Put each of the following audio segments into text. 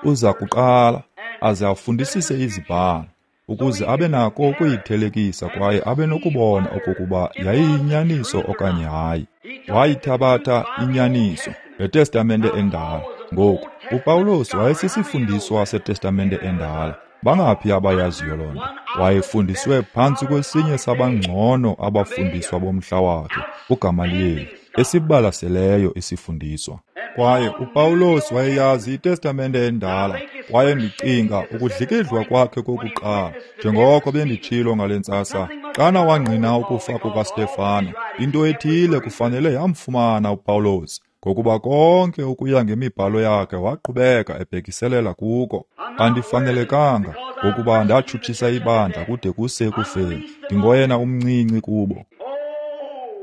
Uza kuqala aze afundisise iZibhalo, ukuze abe nako ukuyithelekisa kwaye abe nokubona okokuba yayiyinyaniso okanye hayi. Wayithabatha inyaniso ngeTestamente Endala. Ngoku, uPawulos wayesisifundiswa seTestamente Endala. Bangaphi abayaziyo loo nto? Wayefundiswe phantsi kwesinye sabangcono abafundiswa bomhla wakhe, uGamaliyeli, esibalaseleyo isifundiswa. Kwaye uPawulos wayeyazi iTestamente Endala, kwaye ndicinga ukudlikidlwa kwakhe kokuqala, njengoko benditshilo ngale ntsasa, xana wangqina ukufa kukaStefano, into ethile kufanele yamfumana uPawulos, ngokuba konke ukuya ngemibhalo yakhe waqhubeka ebhekiselela kuko. Andifanelekanga, ngokuba ndatshutshisa ibandla kude kuse ekufeni, ndingoyena umncinci kubo.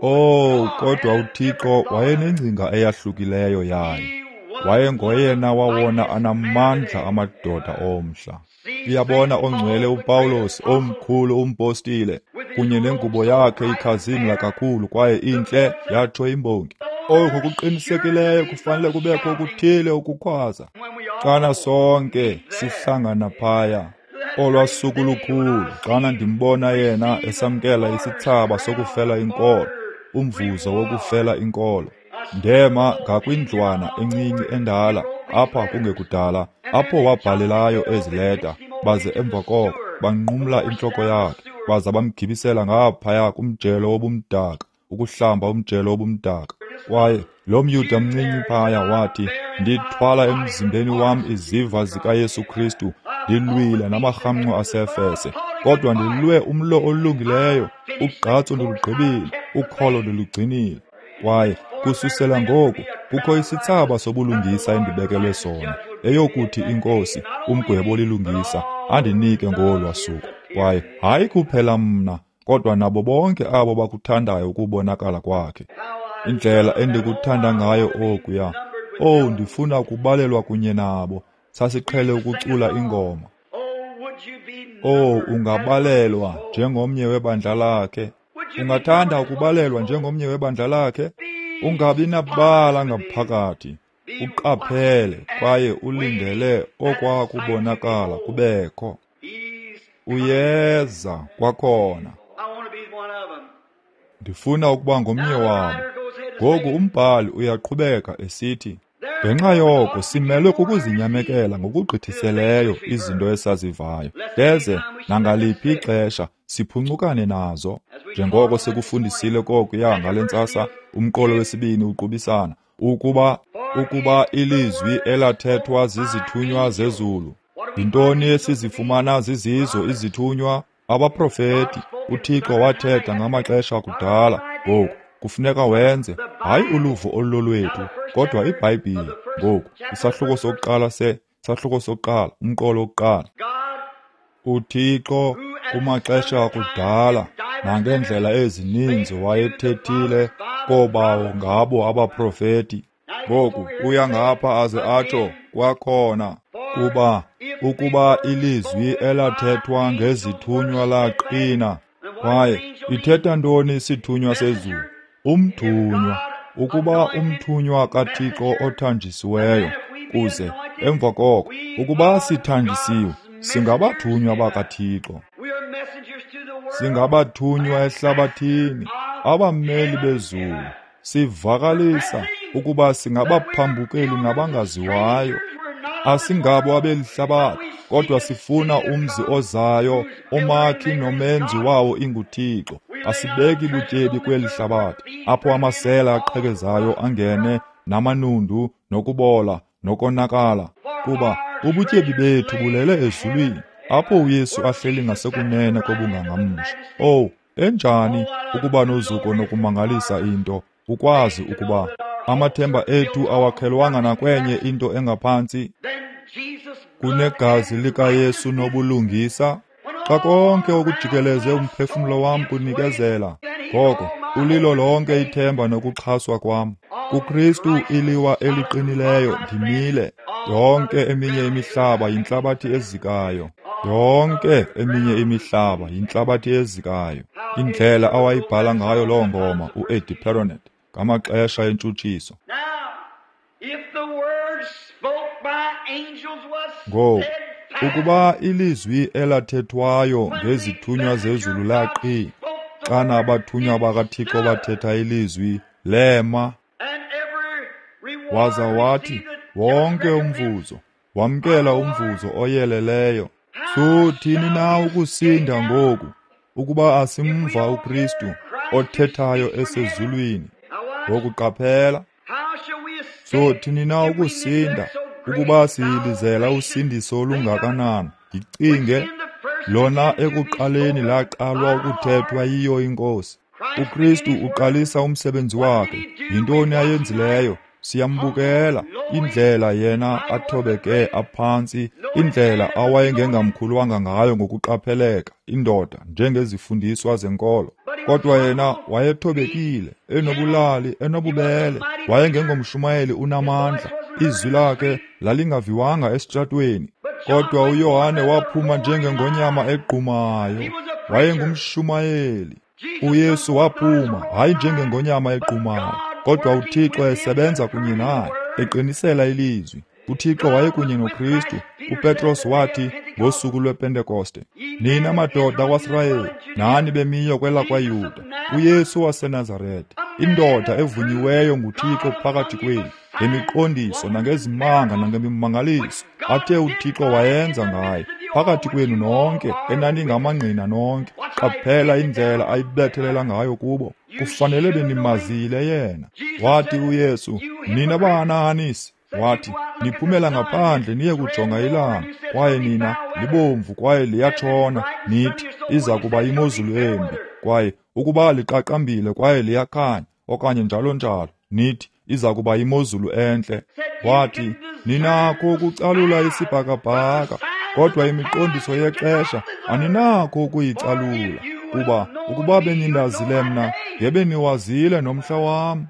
Oh, kodwa uThixo wayenengcinga eyahlukileyo yayo. Wayengoyena wawona anamandla amadoda omhla. Uyabona ongcwele uPawulos omkhulu umpostile, kunye nengubo yakhe ikhazimla kakhulu kwaye intle, yatsho imbongi. Oku kuqinisekileyo kufanele kubekho okuthile ukukhwaza. Xana sonke sihlangana phaya, olwa suku lukhulu, xana ndimbona yena esamkela isithsaba sokufela inkolo, umvuzo wokufela inkolo. Ndema ngakwindlwana encinci endala apha kungekudala, apho wabhalelayo ezi leta, baze emva koko banqumla intloko yakhe, baza bamgibisela ngaphaya kumjelo wobumdaka, ukuhlamba umjelo wobumdaka. Kwaye lo mYuda mncinci phaya wathi, ndithwala emzimbeni wam iziva zikaYesu Kristu, ndilwile namarhamncwa aseEfese, kodwa ndilwe umlo olungileyo, ugqatso ndilugqibile, ukholo ndilugcinile. Kwaye kususela ngoku kukho isithsaba sobulungisa endibekelwe sona, eyokuthi iNkosi, umgwebo olilungisa, andinike ngolwa suku. Kwaye hayi kuphela mna, kodwa nabo bonke abo bakuthandayo ukubonakala kwakhe. Indlela endikuthanda ngayo okuya. Oh, ndifuna ukubalelwa kunye nabo. Sasiqhele ukucula ingoma. Oh, ungabalelwa njengomnye webandla lakhe. Ungathanda ukubalelwa njengomnye webandla lakhe? Ungabi nabala ngaphakathi. Uqaphele kwaye ulindele okwakubonakala kubekho. Uyeza kwakhona. Ndifuna ukuba ngomnye wabo. Ngoku umbhali uyaqhubeka esithi, ngenxa yoko simelwe kukuzinyamekela ngokugqithiseleyo izinto esazivayo, ndeze nangaliphi ixesha siphuncukane nazo. Njengoko sikufundisile kokuya ngale ntsasa, umqolo wesibini uqubisana, ukuba ilizwi elathethwa zizithunywa zezulu. Yintoni esizifumana zizizo izithunywa? Abaprofeti. UThixo wathetha ngamaxesha akudala. Ngoku kufuneka wenze, hayi uluvo olulolwethu, kodwa iBhayibhile. Ngoku isahluko sokuqala sahluko sokuqala, umqolo wokuqala. UThixo kumaxesha akudala nangeendlela ezininzi wayethethile koobawo ngabo abaprofeti. Ngoku uya ngapha aze atsho kwakhona, kuba ukuba ilizwi elathethwa ngezithunywa laqina. Kwaye ithetha ntoni isithunywa sezulu? Umthunywa. Ukuba umthunywa kaThixo othanjisiweyo, kuze emva koko ukuba sithanjisiwe, singabathunywa bakaThixo. Singabathunywa ehlabathini, abameli bezulu. Sivakalisa ukuba singabaphambukeli nabangaziwayo. Asingabo abelihlabathi, kodwa sifuna umzi ozayo, umakhi nomenzi wawo inguThixo. Asibeki butyebi kweli hlabathi, apho amasela aqhekezayo angene namanundu nokubola nokonakala, kuba ubutyebi bethu bulele ezulwini, apho uYesu ahleli ngasekunene kobungangamsha. Oh, enjani ukuba nozuko nokumangalisa into, ukwazi ukuba amathemba ethu awakhelwanga nakwenye into engaphantsi kunegazi likaYesu nobulungisa. Xa konke okujikeleze umphefumlo wam kunikezela, ngoko ulilo lonke ithemba nokuxhaswa kwam. KuKristu iliwa eliqinileyo ndimile. Yonke eminye imihlaba yintlabathi ezikayo. Yonke eminye imihlaba yintlabathi ezikayo. Indlela awayibhala ngayo loo ngoma uEddie Perronet ngamaxesha entshutshiso. Ngoku, ukuba ilizwi elathethwayo ngezithunywa zezulu laqina, xana abathunywa bakaThixo bathetha ilizwi, lema. Waza wathi, wonke umvuzo, wamkela umvuzo oyeleleyo. Sothini na ukusinda ngoku, ukuba asimva uKristu othethayo esezulwini? Ngoku qaphela. Sothini na ukusinda ukuba siyilizela usindiso olungakanani? Yicinge, lona ekuqaleni laqalwa ukuthethwa yiyo iNkosi. uKristu uqalisa umsebenzi wakhe. Yintoni ayenzileyo? Siyambukela indlela yena athobeke aphantsi, indlela awayengengamkhulwanga ngayo ngokuqapheleka indoda njengezifundiswa zenkolo. Kodwa yena wayethobekile, enobulali, enobubele, wayengengomshumayeli unamandla. Izwi lakhe lalingaviwanga esitratweni. Kodwa uYohane waphuma njengengonyama egqumayo, wayengumshumayeli. uYesu waphuma hayi njengengonyama egqumayo, kodwa uThixo esebenza kunye naye, eqinisela ilizwi. uThixo wayekunye noKristu. uPetros wathi ngosuku lwePentekoste, nina madoda kwaSirayeli, nani bemiyo kwelakwaYuda, uYesu waseNazarete, indoda evunyiweyo nguThixo phakathi kwenu, ngemiqondiso nangezimanga nangemimangaliso athe uThixo wayenza ngaye phakathi kwenu nonke, enaningamangqina nonke. Qaphela indlela ayibethelela ngayo kubo. Kufanele benimazile yena. Wathi uYesu, nina bahanahanisi, wathi, niphumela ngaphandle niye kujonga ilanga, kwaye nina libomvu kwaye liyatshona, nithi iza kuba imozulu embi, kwaye ukuba liqaqambile kwaye liyakhanya, okanye njalo njalo, nithi iza kuba imozulu entle. Wathi, ninakho ukucalula isibhakabhaka, kodwa imiqondiso yexesha aninakho ukuyicalula, kuba ukuba benindazile mna, ngebeniwazile nomhla wam.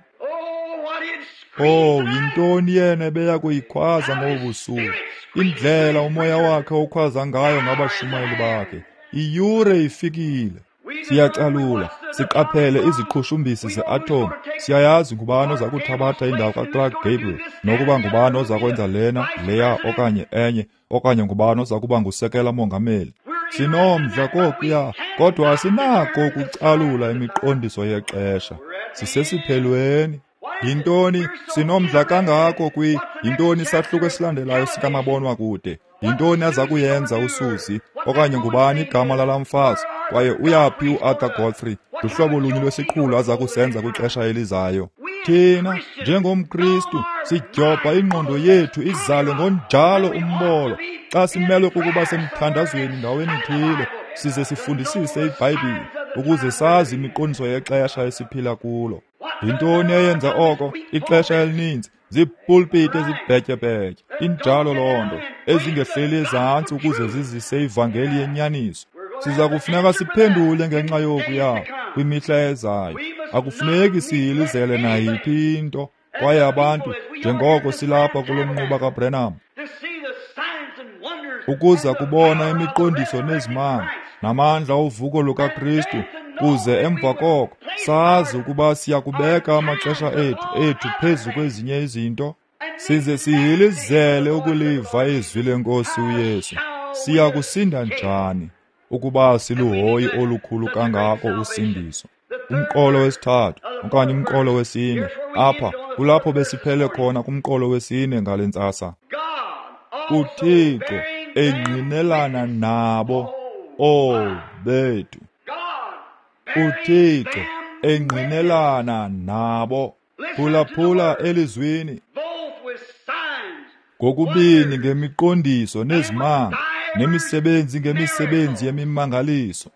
Oh, yintoni yena ebeya kuyikhwaza ngobu busuku? Indlela umoya wakhe okhwaza ngayo ngabashumayeli bakhe. Iyure ifikile. Siyacalula, siqaphele iziqhushumbisi ze-atom. Siyayazi ngubani oza kuthabatha indawo kaClark Gable, nokuba ngubani oza kwenza lena, leya okanye enye, okanye ngubani oza kuba ngusekela mongameli. Sinomdla kokuya, kodwa asinako ukucalula imiqondiso yexesha. Sisesiphelweni. Yintoni sinomdla kangako kwi yintoni isahluko esilandelayo sikamabonwakude? Yintoni aza kuyenza uSusie, okanye ngubani igama lala mfazi, kwaye uyaphi uArthur Godfrey? Luhlobo lunye lwesiqhulo aza kusenza kwixesha elizayo. Thina njengomKristu sidyobha ingqondo yethu izale ngonjalo umbolo xa simelwe kukuba semthandazweni ndaweni ithile, size sifundisise iBhayibhile ukuze sazi imiqondiso yexesha esiphila kulo. Yintoni eyenza oko? Ixesha elininzi ziipulpiti ezibhetyebhetye, injalo loo nto, ezingehleli ezantsi ukuze zizise ivangeli yenyaniso. Siza kufuneka siphendule ngenxa yokuya kwimihla ezayo. Akufuneki siyilizele nayiphi into. Kwaye abantu, njengoko silapha kulo mnquba kaBrenham, ukuza kubona imiqondiso nezimanga namandla ovuko lukaKristu, kuze emva koko sazi ukuba siyakubeka amaxesha ethu phezu kwezinye izinto, size sihilizele ukuliva izwi leNkosi uYesu. Siya kusinda njani ukuba siluhoyi olukhulu kangako usindiso? Umqolo wesithathu okanye umqolo wesine, apha kulapho besiphele khona kumqolo wesine ngale ntsasa. uThixo engqinelana nabo, oh bethu. uThixo engqinelana nabo. Phulaphula elizwini ngokubini ngemiqondiso nezimanga, nemisebenzi ngemisebenzi yemimangaliso.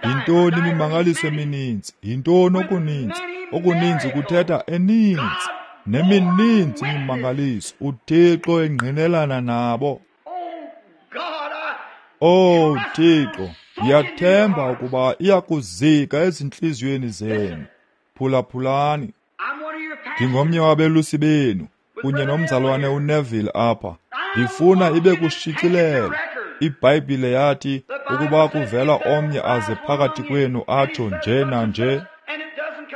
Yintoni imimangaliso emininzi? Yintoni okuninzi? Okuninzi kuthetha eninzi, nemininzi imimangaliso. uThixo engqinelana nabo. Oh Thixo, ndiyathemba ukuba iyakuzika ezintliziyweni zenu. Phulaphulani. Ndingomnye wabelusi benu kunye nomzalwane uNeville apha. Ndifuna ibe kushicilelo. iBhayibhile yathi ukuba kuvela omnye aze phakathi kwenu atsho nje nanje,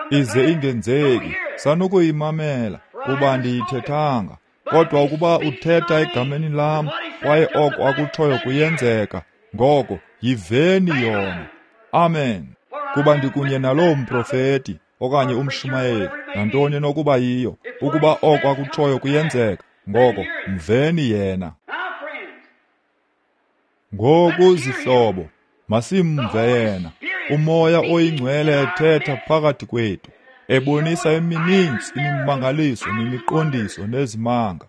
ize ingenzeki, sanukuyimamela, kuba ndiyithethanga. Kodwa ukuba uthetha egameni lam, kwaye oko akutshoyo kuyenzeka, ngoko yiveni yona. Amen. Kuba ndikunye naloo mprofeti okanye umshumayeli, nantoni enokuba yiyo, ukuba oko akutshoyo kuyenzeka, ngoko mveni yena. Ngoku zihlobo, masimve yena. UMoya oyiNgcwele ethetha phakathi kwethu, ebonisa emininzi imimangaliso nemiqondiso nezimanga.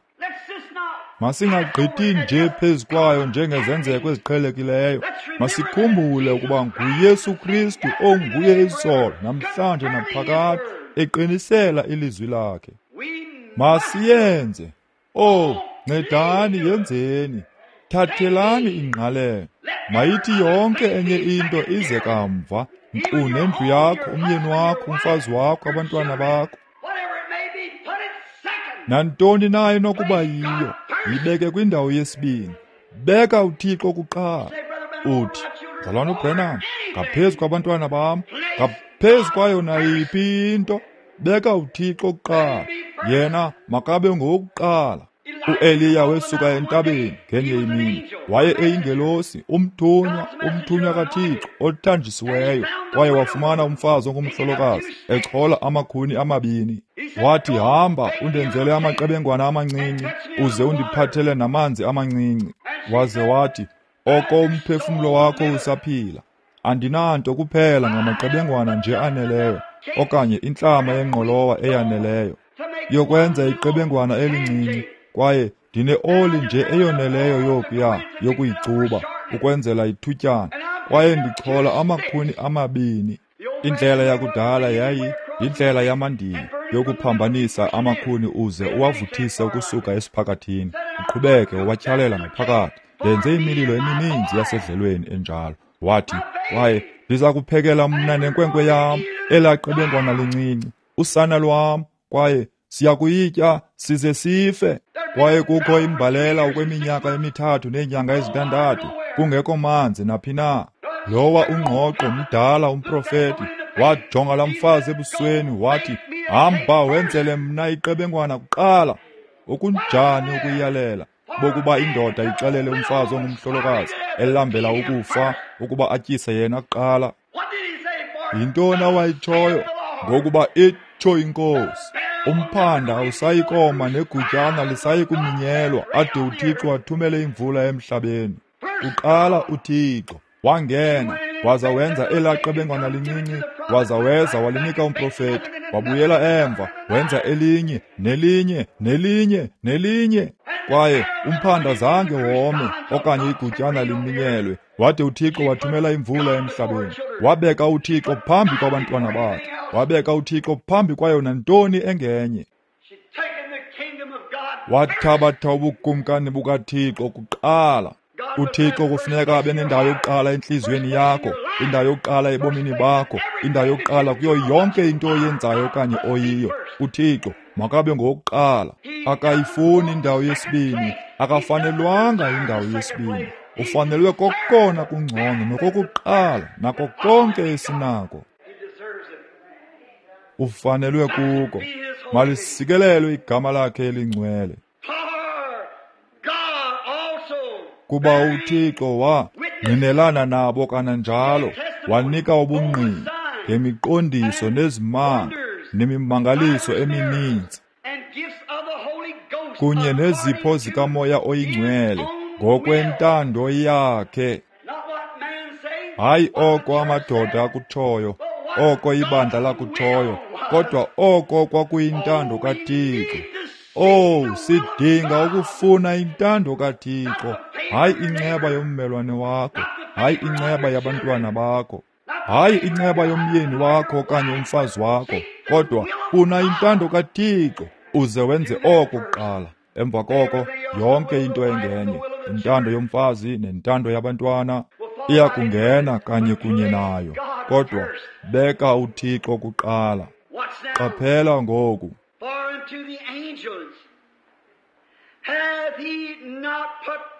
Masingagqithi nje phezu kwayo njengezenzeko eziqhelekileyo. Masikhumbule ukuba nguYesu Kristu onguye izolo, namhlanje naphakade, eqinisela ilizwi lakhe. Masiyenze. Oh, ncedani yenzeni. Thathelani ingqalelo. Mayithi yonke enye into ize kamva, nkqu nendlu yakho, umyeni wakho, umfazi wakho, abantwana bakho. Nantoni na enokuba yiyo, yibeke kwindawo yesibini. Beka uThixo kuqala. Uthi, Mzalwana uBranham, ngaphezu kwabantwana bam, ngaphezu kwayo nayiphi into, beka uThixo kuqala. Yena makabe ngowokuqala. UEliya wesuka entabeni ngenye imini. Waye eyingelosi, umthunywa kaThixo othanjisiweyo, kwaye wafumana umfazi ongumhlolokazi echola amakhuni amabini. Wathi, hamba undenzele amaqebengwana amancinci, uze undiphathele namanzi amancinci. Waze wathi, oko umphefumlo wakho usaphila, andinanto kuphela ngamaqebengwana nje aneleyo, okanye intlama yengqolowa eyaneleyo yokwenza iqebengwana elincinci, kwaye ndine-oli nje eyoneleyo yokuya yokuyicuba ukwenzela ithutyana, kwaye ndichola amakhuni amabini. Indlela yakudala yayi yindlela yamandiya yokuphambanisa amakhuni uze uwavuthise ukusuka esiphakathini, uqhubeke uwatyhalela ngaphakathi. Ndenze imililo emininzi yasedlelweni enjalo. Wathi, kwaye ndiza kuphekela mna nenkwenkwe yam elaa qebengwana lincinci, usana lwam, kwaye siyakuyitya size sife. Kwaye kukho imbalela okweminyaka emithathu neenyanga ezintandathu, kungekho manzi naphi na. Lowa ungqoqo mdala umprofeti wajonga laa mfazi ebusweni wathi, hamba wenzele mna iqebengwana kuqala. Okunjani ukuyalela bokuba indoda ixelele umfazi ongumhlolokazi elambela ukufa ukuba atyise yena kuqala. Yintoni awayitshoyo? Ngokuba itsho iNkosi, umphanda awusayikoma negutyana lisayi kuminyelwa ade uThixo athumele imvula emhlabeni. Kuqala uThixo wangena waza wenza elaa qebengwana lincinci, waza weza walinika umprofeti, wabuyela emva wenza elinye nelinye nelinye nelinye, kwaye umphanda zange wome okanye igutyana liminyelwe, wade uThixo wathumela imvula emhlabeni. Wabeka uThixo phambi kwabantwana bakhe, wabeka uThixo phambi kwayo nantoni engenye. Wathabatha ubukumkani bukaThixo kuqala. uThixo kufuneka abe nendawo yokuqala entliziyweni yakho, indawo yokuqala ebomini bakho, indawo yokuqala kuyo yonke into oyenzayo okanye oyiyo. uThixo makabe ngowokuqala. Akayifuni indawo yesibini, akafanelwanga indawo yesibini. Ufanelwe kokona kungcono nokokuqala nako konke esinako. Ufanelwe kuko. Malisikelelwe igama lakhe elingcwele. Kuba uThixo wangqinelana nabo kananjalo, wanika ubungqina ngemiqondiso nezimanga nemimangaliso emininzi kunye nezipho zikaMoya oyiNgcwele ngokwentando yakhe. Hayi oko amadoda akutshoyo, oko ibandla lakutshoyo, kodwa oko kwakuyintando kaThixo. Oh, sidinga ukufuna intando kaThixo, hayi inceba yommelwane wakho, hayi inceba yabantwana bakho, hayi inceba yomyeni wakho okanye umfazi wakho, kodwa funa intando kaThixo uze wenze oko kuqala. Emva koko yonke into engenye, intando yomfazi nentando yabantwana iya kungena kanye kunye nayo, kodwa beka uThixo kuqala. Qaphela ngoku.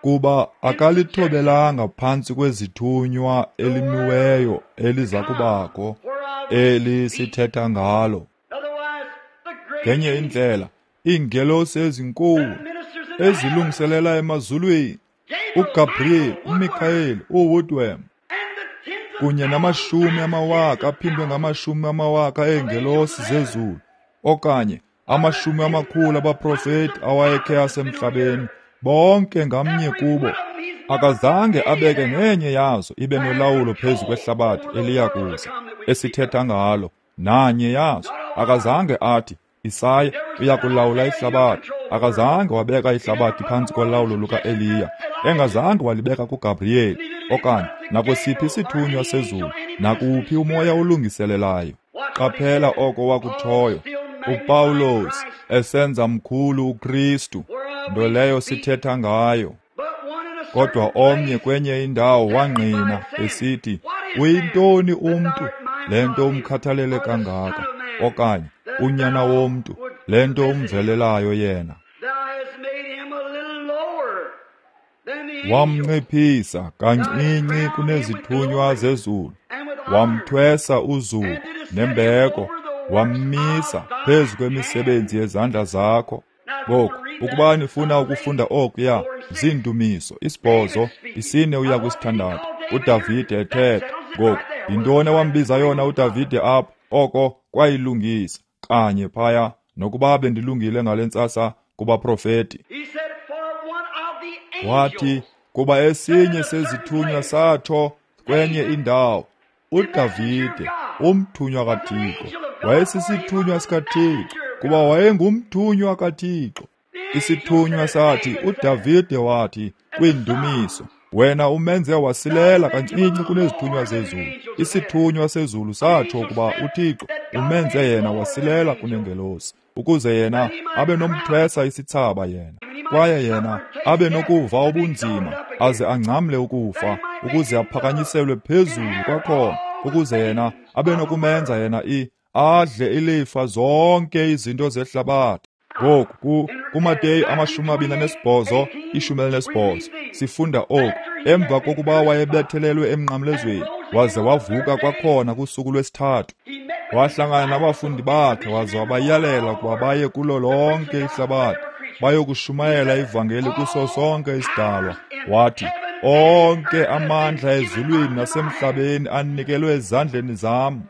Kuba akalithobelanga phantsi kwezithunywa elimiweyo eliza kubakho, eli sithetha ngalo. Ngenye indlela, Iingelosi ezinkulu ezilungiselela emazulwini, uGabriel, uMikhayeli, uWoodworm, kunye namashumi amawaka aphindwe ngamashumi amawaka eengelosi zezulu, okanye amashumi amakhulu abaprofeti awayekhe asemhlabeni, bonke ngamnye kubo akazange abeke nenye yazo ibe nolawulo phezu kwehlabathi eliya kuza esithetha ngalo. Nanye yazo akazange athi Isaya uya kulawula ihlabathi. Akazange wabeka ihlabathi phantsi kolawulo lukaEliya, engazange walibeka kuGabriyeli okanye nakwesiphi isithunywa sezulu, nakuphi umoya olungiselelayo. Qaphela oko wakutshoyo uPawulos esenza mkhulu uKristu, nto leyo sithetha ngayo. Kodwa omnye kwenye indawo wangqina esithi, uyintoni umntu le nto umkhathalele kangaka, okanye unyana womntu le nto umvelelayo yena? Wamnciphisa kancinci kunezithunywa zezulu, wamthwesa uzuko nembeko, wammisa phezu kwemisebenzi yezandla zakho. Ngoku, ukuba nifuna ukufunda okuya, ziindumiso 8, 4 uya ku-6, uDavide ethetha. Ngoku, yintoni awambiza yona uDavide apho? Oko kwayilungisa kanye phaya, nokuba bendilungile ngale ntsasa kubaprofeti. Wathi, kuba esinye sezithunywa satsho kwenye indawo, uDavide, umthunywa kaThixo, wayesisithunywa sikaThixo, kuba wayengumthunywa kaThixo. Isithunywa sathi, uDavide wathi kwiindumiso, wena umenze wasilela kancinci kunezithunywa zezulu. Isithunywa sezulu satsho ukuba uThixo umenze yena wasilela kunengelosi, ukuze yena abe nomthwesa isithsaba yena, kwaye yena abe nokuva ubunzima aze angcamle ukufa, ukuze aphakanyiselwe phezulu kwakhona, ukuze yena abe nokumenza yena adle ilifa zonke izinto zehlabathi. Ngoku kuMateyu 28, 18 sifunda oku: emva kokuba wayebethelelwe emnqamlezweni waze wavuka kwakhona kusuku lwesithathu, wahlangana nabafundi bakhe waze wabayalela ukuba baye kulo lonke ihlabathi bayokushumayela ivangeli kuso sonke isidalwa. Wathi, onke amandla ezulwini nasemhlabeni anikelwe ezandleni zam.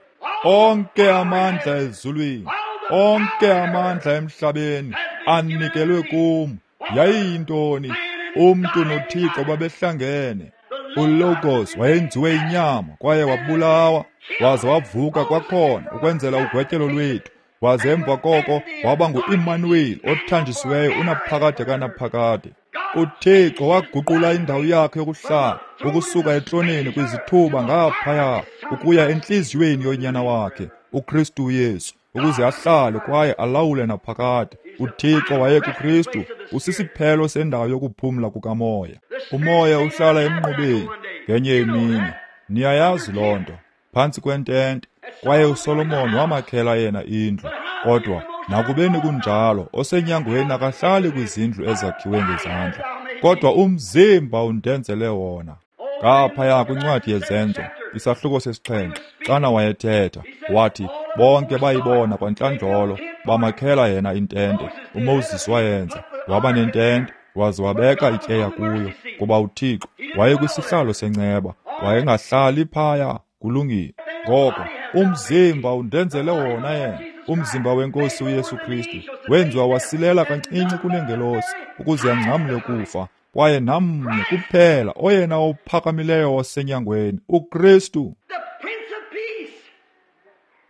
Onke amandla ezulwini, onke amandla emhlabeni anikelwe kum. Yayiyintoni? Umntu noThixo babehlangene. ULogos wayenziwe inyama kwaye wabulawa, waze wavuka kwakhona ukwenzela ugwetyelo lwethu, waze emva koko waba ngu-Immanuel othanjisiweyo unaphakade kanaphakade. uThixo waguqula indawo yakhe yokuhlala ukusuka etroneni kwizithuba ngaphaya ukuya entliziyweni yonyana wakhe uKristu Yesu, ukuze ahlale kwaye alawule naphakade. uThixo wayekuKristu, usisiphelo sendawo yokuphumla kukamoya. Umoya uhlala emnqubeni ngenye imini, niyayazi loo nto, phantsi kwentente, kwaye uSolomon wamakhela yena indlu. Kodwa nakubeni kunjalo, osenyangweni akahlali kwizindlu ezakhiwe ngezandla, kodwa umzimba undenzele wona. Ngaphaya kwincwadi yeZenzo, isahluko 7, xana wayethetha, wathi bonke bayibona kwantlandlolo, bamakhela yena intente. uMoses wayenza, waba nentente, waze wabeka ityeya kuyo, kuba uThixo wayekwisihlalo senceba, wayengahlali phaya. Kulungile. Ngoko umzimba undenzele wona yena, umzimba wenkosi uYesu Kristu, wenziwa wasilela kancinci kunengelosi, ukuze angcamle ukufa, kwaye namnye kuphela oyena ophakamileyo wasenyangweni, uKristu,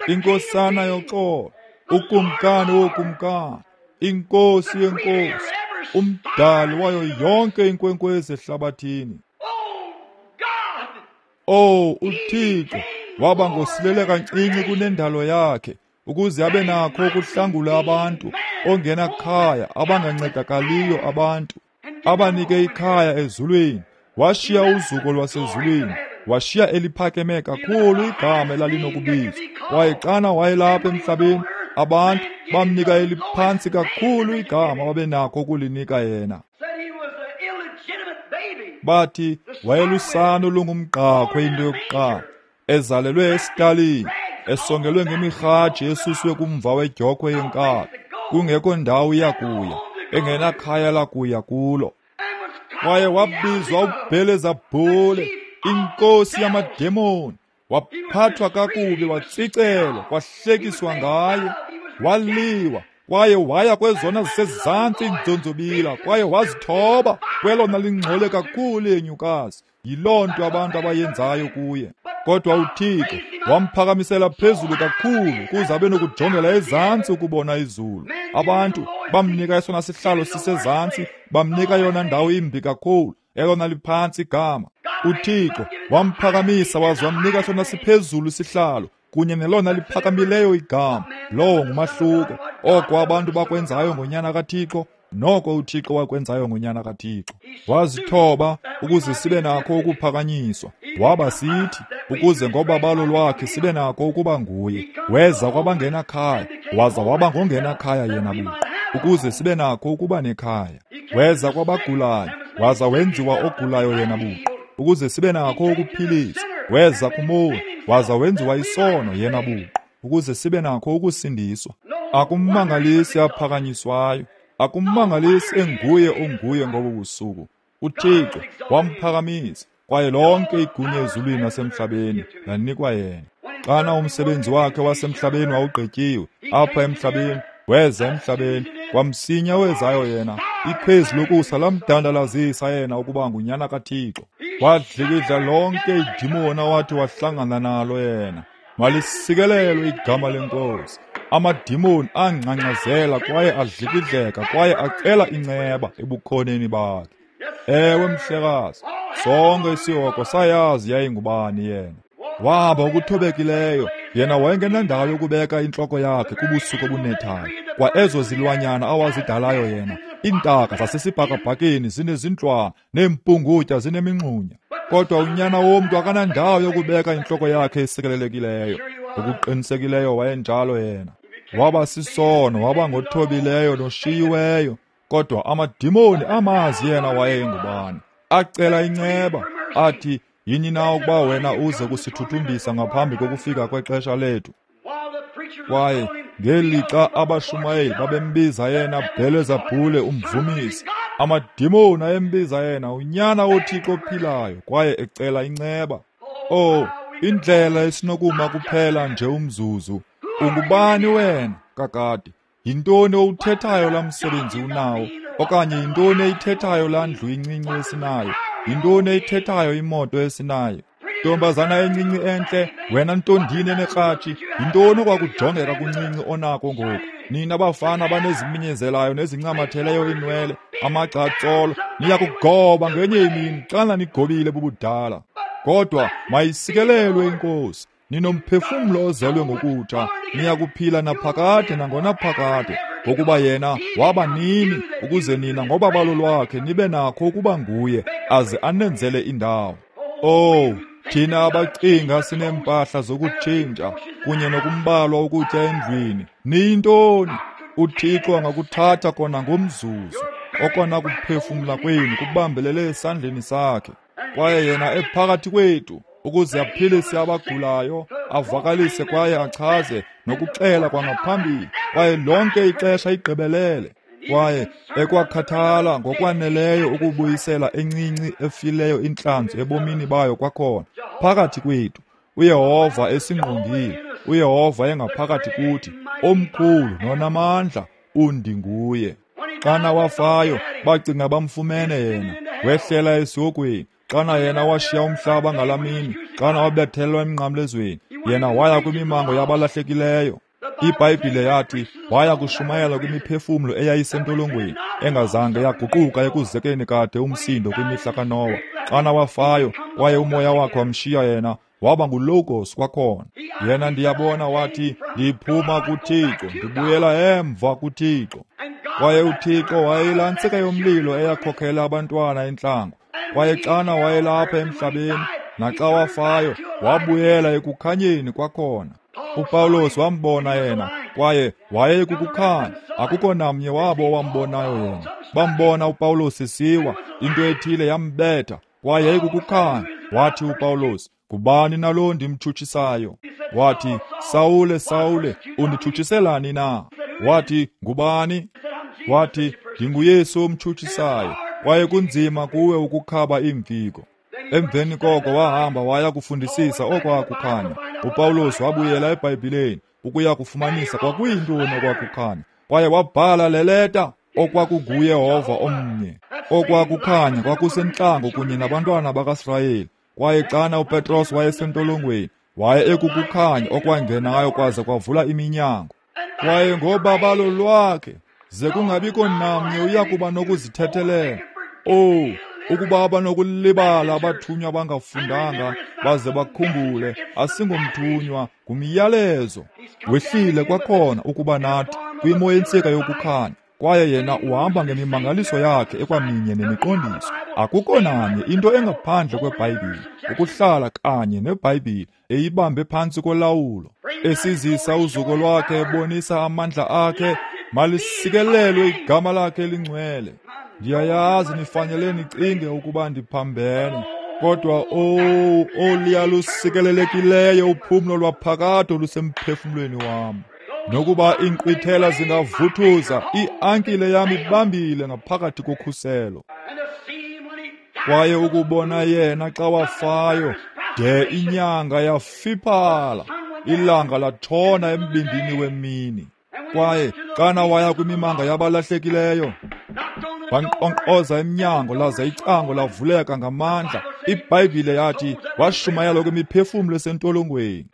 inkosana yoxolo, ukumkani wokumkani, inkosi yenkosi, umdali wayo yonke inkwenkwezi ehlabathini. Oh, uThixo waba ngosilele kancinci kunendalo yakhe, ukuze abe nakho ukuhlangula abantu ongenakhaya, abangancedakaliyo abantu, abanike ikhaya ezulwini. Washiya uzuko lwasezulwini, washiya eliphakeme kakhulu igama elalinokubizwa. Kwaye xana wayelapha emhlabeni, abantu bamnika eliphantsi kakhulu igama babenakho ukulinika yena. Bathi wayelusana olungumgqakhwe into yokuqala, ezalelwe esitalini, esongelwe ngemirhaji esuswe kumva wedyokhwe yenkabi. kungekho ndawo yakuya, engenakhaya lakuya kulo. Kwaye wabizwa uBhelezabhule, inkosi yamademoni. Waphathwa kakubi, watsicelwa, kwahlekiswa ngaye, waliwa, kwaye waya kwezona zisezantsi iinzonzobila, kwaye wazithoba kwelona lingcole kakhulu yenyukazi. Yiloo nto abantu abayenzayo kuye. Kodwa uThixo wamphakamisela phezulu kakhulu ukuze abe nokujongela ezantsi ukubona izulu. Abantu bamnika esona sihlalo sisezantsi, bamnika yona ndawo imbi kakhulu, elona liphantsi igama. uThixo wamphakamisa waze wamnika sona siphezulu isihlalo kunye nelona liphakamileyo igama. Lowo ngumahluko. Oko abantu bakwenzayo ngonyana kaThixo, noko uThixo wakwenzayo ngonyana kaThixo. Wazithoba ukuze sibe nakho ukuphakanyiswa. Waba sithi ukuze ngobabalo lwakhe sibe nakho ukuba nguye. Weza kwabangenakhaya, waza waba ngongenakhaya yena buqu, ukuze sibe nakho ukuba nekhaya. Weza kwabagulayo, waza wenziwa ogulayo yena buqu, ukuze sibe nakho ukuphiliswa. Weza kumoni, waza wenziwa isono yena buqu, ukuze sibe nakho ukusindiswa. Akumangalisi aphakanyiswayo, akumangalisi enguye onguye ngobu busuku. uThixo wamphakamisa, kwaye lonke igunya ezulwini nasemhlabeni lanikwa yena. Xana umsebenzi wakhe wasemhlabeni wawugqityiwe apha emhlabeni, weza emhlabeni, kwamsinya wezayo yena, ikhwezi lokusa lamdandalazisa yena ukuba ngunyana kaThixo. Wadlikidla lonke idimoni awathi wahlangana nalo yena. Malisikelelwe igama leNkosi. Amadimoni angcangcazela kwaye adlikidleka kwaye acela inceba ebukhoneni bakhe. Ewe mhlekazi, sonke isihogo sayazi yayingubani yena. Wahamba okuthobekileyo, yena wayengenandawo yokubeka intloko yakhe kubusuku obunethayo. Kwa ezo zilwanyana awazidalayo yena, iintaka zasesibhakabhakeni zinezintlwana, neempungutya zinemingxunya. Kodwa unyana womntu akanandawo yokubeka intloko yakhe esikelelekileyo. Ngokuqinisekileyo wayenjalo yena. Waba sisono, waba ngothobileyo noshiyiweyo. Kodwa amadimoni amazi yena wayengubani. Acela inceba, athi, yini na ukuba wena uze kusithuthumbisa ngaphambi kokufika kwexesha lethu? Kwaye ngelixa abashumayeli babembiza yena Bhelezabhule umvumisi, amadimoni ayembiza yena unyana woThixo ophilayo, kwaye ecela inceba. Oh, indlela esinokuma kuphela nje umzuzu. Ungubani wena kakade? Yintoni owuthethayo laa msebenzi unawo? Okanye yintoni eyithethayo laa ndlu incinci esinayo? Yintoni eyithethayo imoto esinayo? Ntombazana encinci entle, wena ntondini enekratshi, yintoni okwakujongeka kuncinci onako ngoku? Nina bafana baneziminyezelayo nezincamatheleyo iinwele, amagcatsolo, niya kugoba ngenye imini xana nigobile bubudala. Kodwa mayisikelelwe iNkosi. Ninomphefumlo ozelwe ngokutsha, niya kuphila naphakade nangonaphakade, ngokuba yena waba nini ukuze nina ngobabalo lwakhe nibe nakho ukuba nguye, aze anenzele indawo. Oh, thina abacinga sineempahla zokutshintsha kunye nokumbalwa ukutya endlwini, niyintoni? uThixo angakuthatha kona ngomzuzu, okona kuphefumla kwenu kubambelele esandleni sakhe. Kwaye yena ephakathi kwethu ukuze aphilise abagulayo, avakalise kwaye achaze nokuxela kwangaphambili, kwaye lonke ixesha igqibelele. Kwaye ekwakhathala ngokwaneleyo ukubuyisela encinci efileyo intlanzi ebomini bayo kwakhona phakathi kwethu. uYehova esingqongile, uYehova engaphakathi kuthi, omkhulu nonamandla, undinguye. Xana wafayo, bacinga bamfumene yena, wehlela esihogweni. Xana yena washiya umhlaba ngalamini, xana wabethelwa emnqamlezweni, yena waya kwimimango yabalahlekileyo. IBhayibhile yathi waya kushumayela kwimiphefumlo eyayisentolongweni, engazange yaguquka ekuzekeni kade umsindo kwimihla kaNowa. Xana wafayo, kwaye umoya wakhe wamshiya yena, waba nguLogos kwakhona. Yena ndiyabona wathi, ndiphuma kuThixo, ndibuyela emva kuThixo. Kwaye uThixo wayeyilantsika yomlilo eyakhokhela abantwana entlango. Kwaye xana wayelapha emhlabeni, naxa wafayo, wabuyela ekukhanyeni kwakhona. uPawulos wambona yena, kwaye wayekukukhanya. Akukho namnye wabo owambonayo yena. Bambona uPawulos esiwa, into ethile yambetha, kwaye yayikukukhanya. Wathi uPawulos, ngubani nalo ndimtshutshisayo? Wathi, Sawule, Sawule, unditshutshiselani na? Wathi, "Ngubani?" Wathi, "NdinguYesu omtshutshisayo, kwaye kunzima kuwe ukukhaba iimfiko." Emveni koko wahamba waya kufundisisa okwakukhanya. UPawulos wabuyela eBhayibhileni ukuya kufumanisa kwakuyintoni okwakukhanya, kwaye wabhala le leta okwakunguYehova omnye. Okwakukhanya kwakusentlango kunye nabantwana bakaSirayeli, kwaye xana uPetros wayesentolongweni, waye ekukukhanya okwangenayo kwaze kwavula iminyango. Kwaye ngobabalo lwakhe ze kungabikho namnye uyakuba nokuzithethelela. Oh, ukuba abanokulibala abathunywa bangafundanga baze bakhumbule, asingomthunywa, ngumyalezo. Wehlile kwakhona ukuba nathi kwimo yentsika yokukhanya, kwaye yena uhamba ngemimangaliso yakhe ekwaminye nemiqondiso. Akukho nanye into engaphandle kweBhayibhile, ukuhlala kanye neBhayibhile eyibambe phantsi kolawulo, esizisa uzuko lwakhe, ebonisa amandla akhe. Malisikelelwe igama lakhe elingcwele. Ndiyayazi nifanele nicinge ukuba ndiphambene, kodwa owu, oluyalusikelelekileyo uphumlo lwaphakade olusemphefumlweni wam. Nokuba iinkqwithela zingavuthuza, iankile yam ibambile ngaphakathi kokhuselo. Kwaye ukubona yena xa wafayo, de inyanga yafiphala, ilanga latshona embindini wemini. Kwaye xana waya kwimimanga yabalahlekileyo, wankqonkqoza emnyango, laza icango lavuleka ngamandla. iBhayibhile yathi washumayela kwimiphefumlo esentolongweni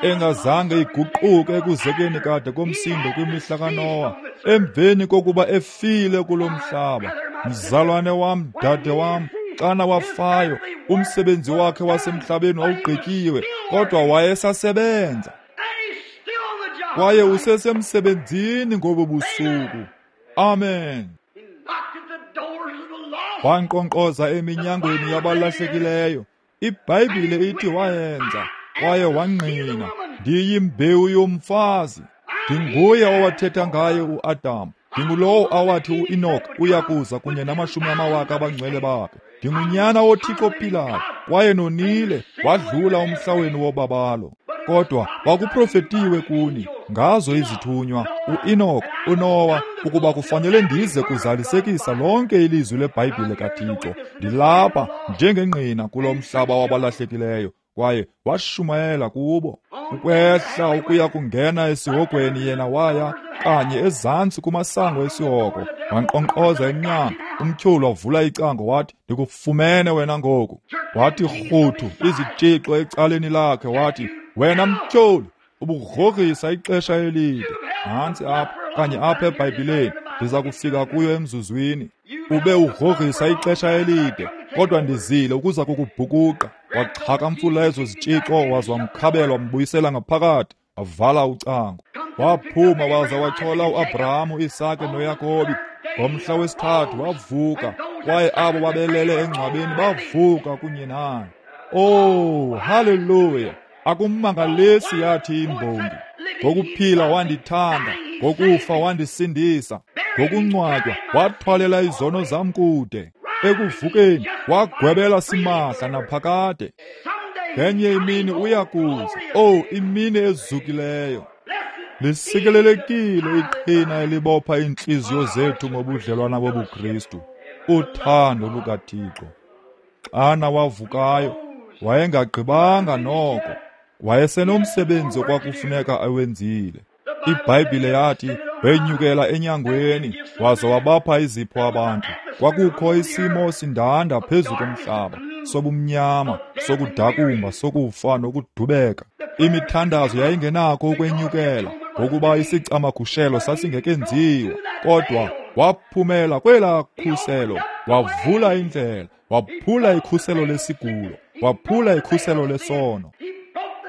engazange iguquke ekuzekeni kade komsindo kwimihla kaNowa, emveni kokuba efile kulo mhlaba. Mzalwane wam, dade wam, xana wafayo, umsebenzi wakhe wasemhlabeni wawugqityiwe, kodwa wayesasebenza. Kwaye usesemsebenzini ngobu busuku. Amen. Wankqonkqoza eminyangweni yabalahlekileyo. iBhayibhile ithi wayenza, kwaye wangqina, "Ndiyimbewu yomfazi. Ndinguye owathetha ngaye uAdam. Ndingulowo awathi uEnoch uya kuza kunye namashumi amawaka abangcwele bakhe. Ndingunyana woThixo ophilayo, kwaye nonile, wadlula umhla wenu wobabalo. Kodwa kwakuprofetiwe kuni ngazo izithunywa, uEnoch, uNowa, ukuba kufanele ndize kuzalisekisa lonke ilizwi leBhayibhile kaThixo. Ndilapha njengengqina kulo mhlaba wabalahlekileyo." Kwaye washumayela kubo. Ukwehla ukuya kungena esihogweni, yena waya kanye ezantsi kumasango esihogo, wankqonkqoza emnyango. Umtyholi wavula icango wathi, "Ndikufumene wena ngoku." Wathi rhuthu izitshixo ecaleni lakhe, wathi, "Wena mtyholi, ubugrogrisa ixesha elide." Nantsi apha, kanye apha eBhayibhileni, ndiza kufika kuyo emzuzwini. "Ube ugrogrisa ixesha elide, kodwa ndizile ukuza kukubhukuqa." Waxhakamfula ezo zitshixo, waza wamkhabela, wambuyisela ngaphakathi, wavala ucango. Waphuma waza wachola uAbraham, uIsake noYakobi. Ngomhla wesithathu wavuka, kwaye abo babelele engcwabeni bavuka kunye naye. Oh, haleluya! Akumangalisi yathi imbongi, "Ngokuphila wandithanda, ngokufa wandisindisa, ngokungcwatywa wathwalela izono zam kude, ekuvukeni wagwebela simahla naphakade. Ngenye imini uyakuza, oh, imini ezukileyo." Lisikelelekile iqhina elibopha iintliziyo zethu ngobudlelwana bobuKristu, uthando lukaThixo. Xana wavukayo, wayengagqibanga noko, wayesenomsebenzi okwakufuneka awenzile. iBhayibhile yathi wenyukela enyangweni waza wabapha izipho abantu. Kwakukho isimo sindanda phezu komhlaba, sobumnyama, sokudakumba, sokufa nokudubeka. Imithandazo yayingenakho ukwenyukela ngokuba isicamagushelo sasingekenziwa, kodwa waphumela kwelaa khuselo, wavula indlela, waphula ikhuselo lesigulo, waphula ikhuselo lesono,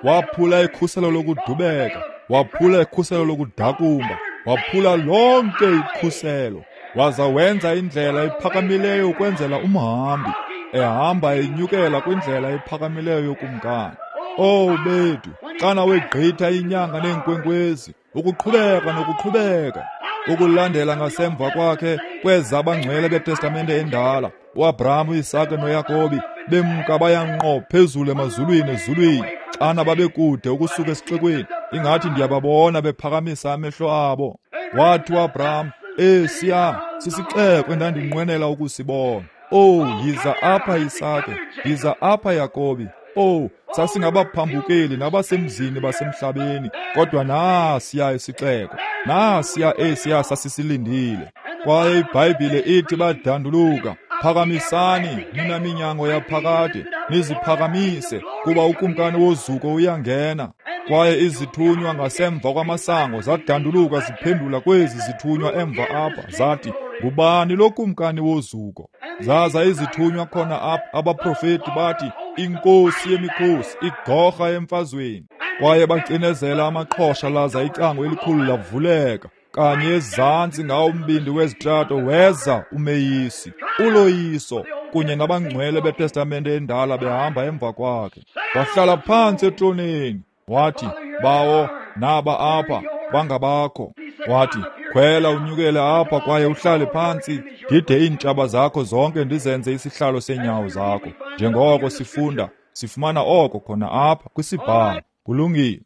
waphula ikhuselo lokudubeka, waphula ikhuselo lokudakumba, waphula lonke ikhuselo, waza wenza indlela ephakamileyo ukwenzela umhambi, ehamba enyukela kwindlela ephakamileyo yokumkani. Oh bethu, xana wegqitha inyanga neenkwenkwezi, ukuqhubeka nokuqhubeka, ukulandela ngasemva kwakhe kweza abangcwele beTestamente endala, uAbraham, uIsake noYakobi, bemka baya ngqo phezulu emazulwini ezulwini. Xana babekude ukusuka esixekweni, ingathi ndiyababona bephakamisa amehlo abo. Wathi uAbraham, esiya sisixeko endandinqwenela ukusibona. Oh, yiza apha Isake, yiza apha Yakobi. Oh, sasingabaphambukeli nabasemzini basemhlabeni, kodwa nasiya isixeko, nasiya esiya sasisilindile. Kwaye iBhayibhile ithi badanduluka, phakamisani nina minyango yaphakade, niziphakamise, kuba ukumkani wozuko uyangena. Kwaye izithunywa ngasemva kwamasango zadanduluka ziphendula kwezi zithunywa emva apha, zathi, ngubani lo kumkani wozuko? Zaza izithunywa khona apha, abaprofeti bathi, inkosi yemikhosi, igorha emfazweni. Kwaye bacinezela amaqhosha, laza icango elikhulu lavuleka. Kanye ezantsi ngawo umbindi wezitrato weza umeyisi, uloyiso, kunye nabangcwele beTestamente endala behamba emva kwakhe. Wahlala phantsi etroneni, wathi, Bawo, naba apha, bangabakho. Wathi, khwela unyukele apha kwaye uhlale phantsi, ndide iintshaba zakho zonke ndizenze isihlalo seenyawo zakho. Njengoko sifunda, sifumana oko khona apha kwisibhalo. Kulungile.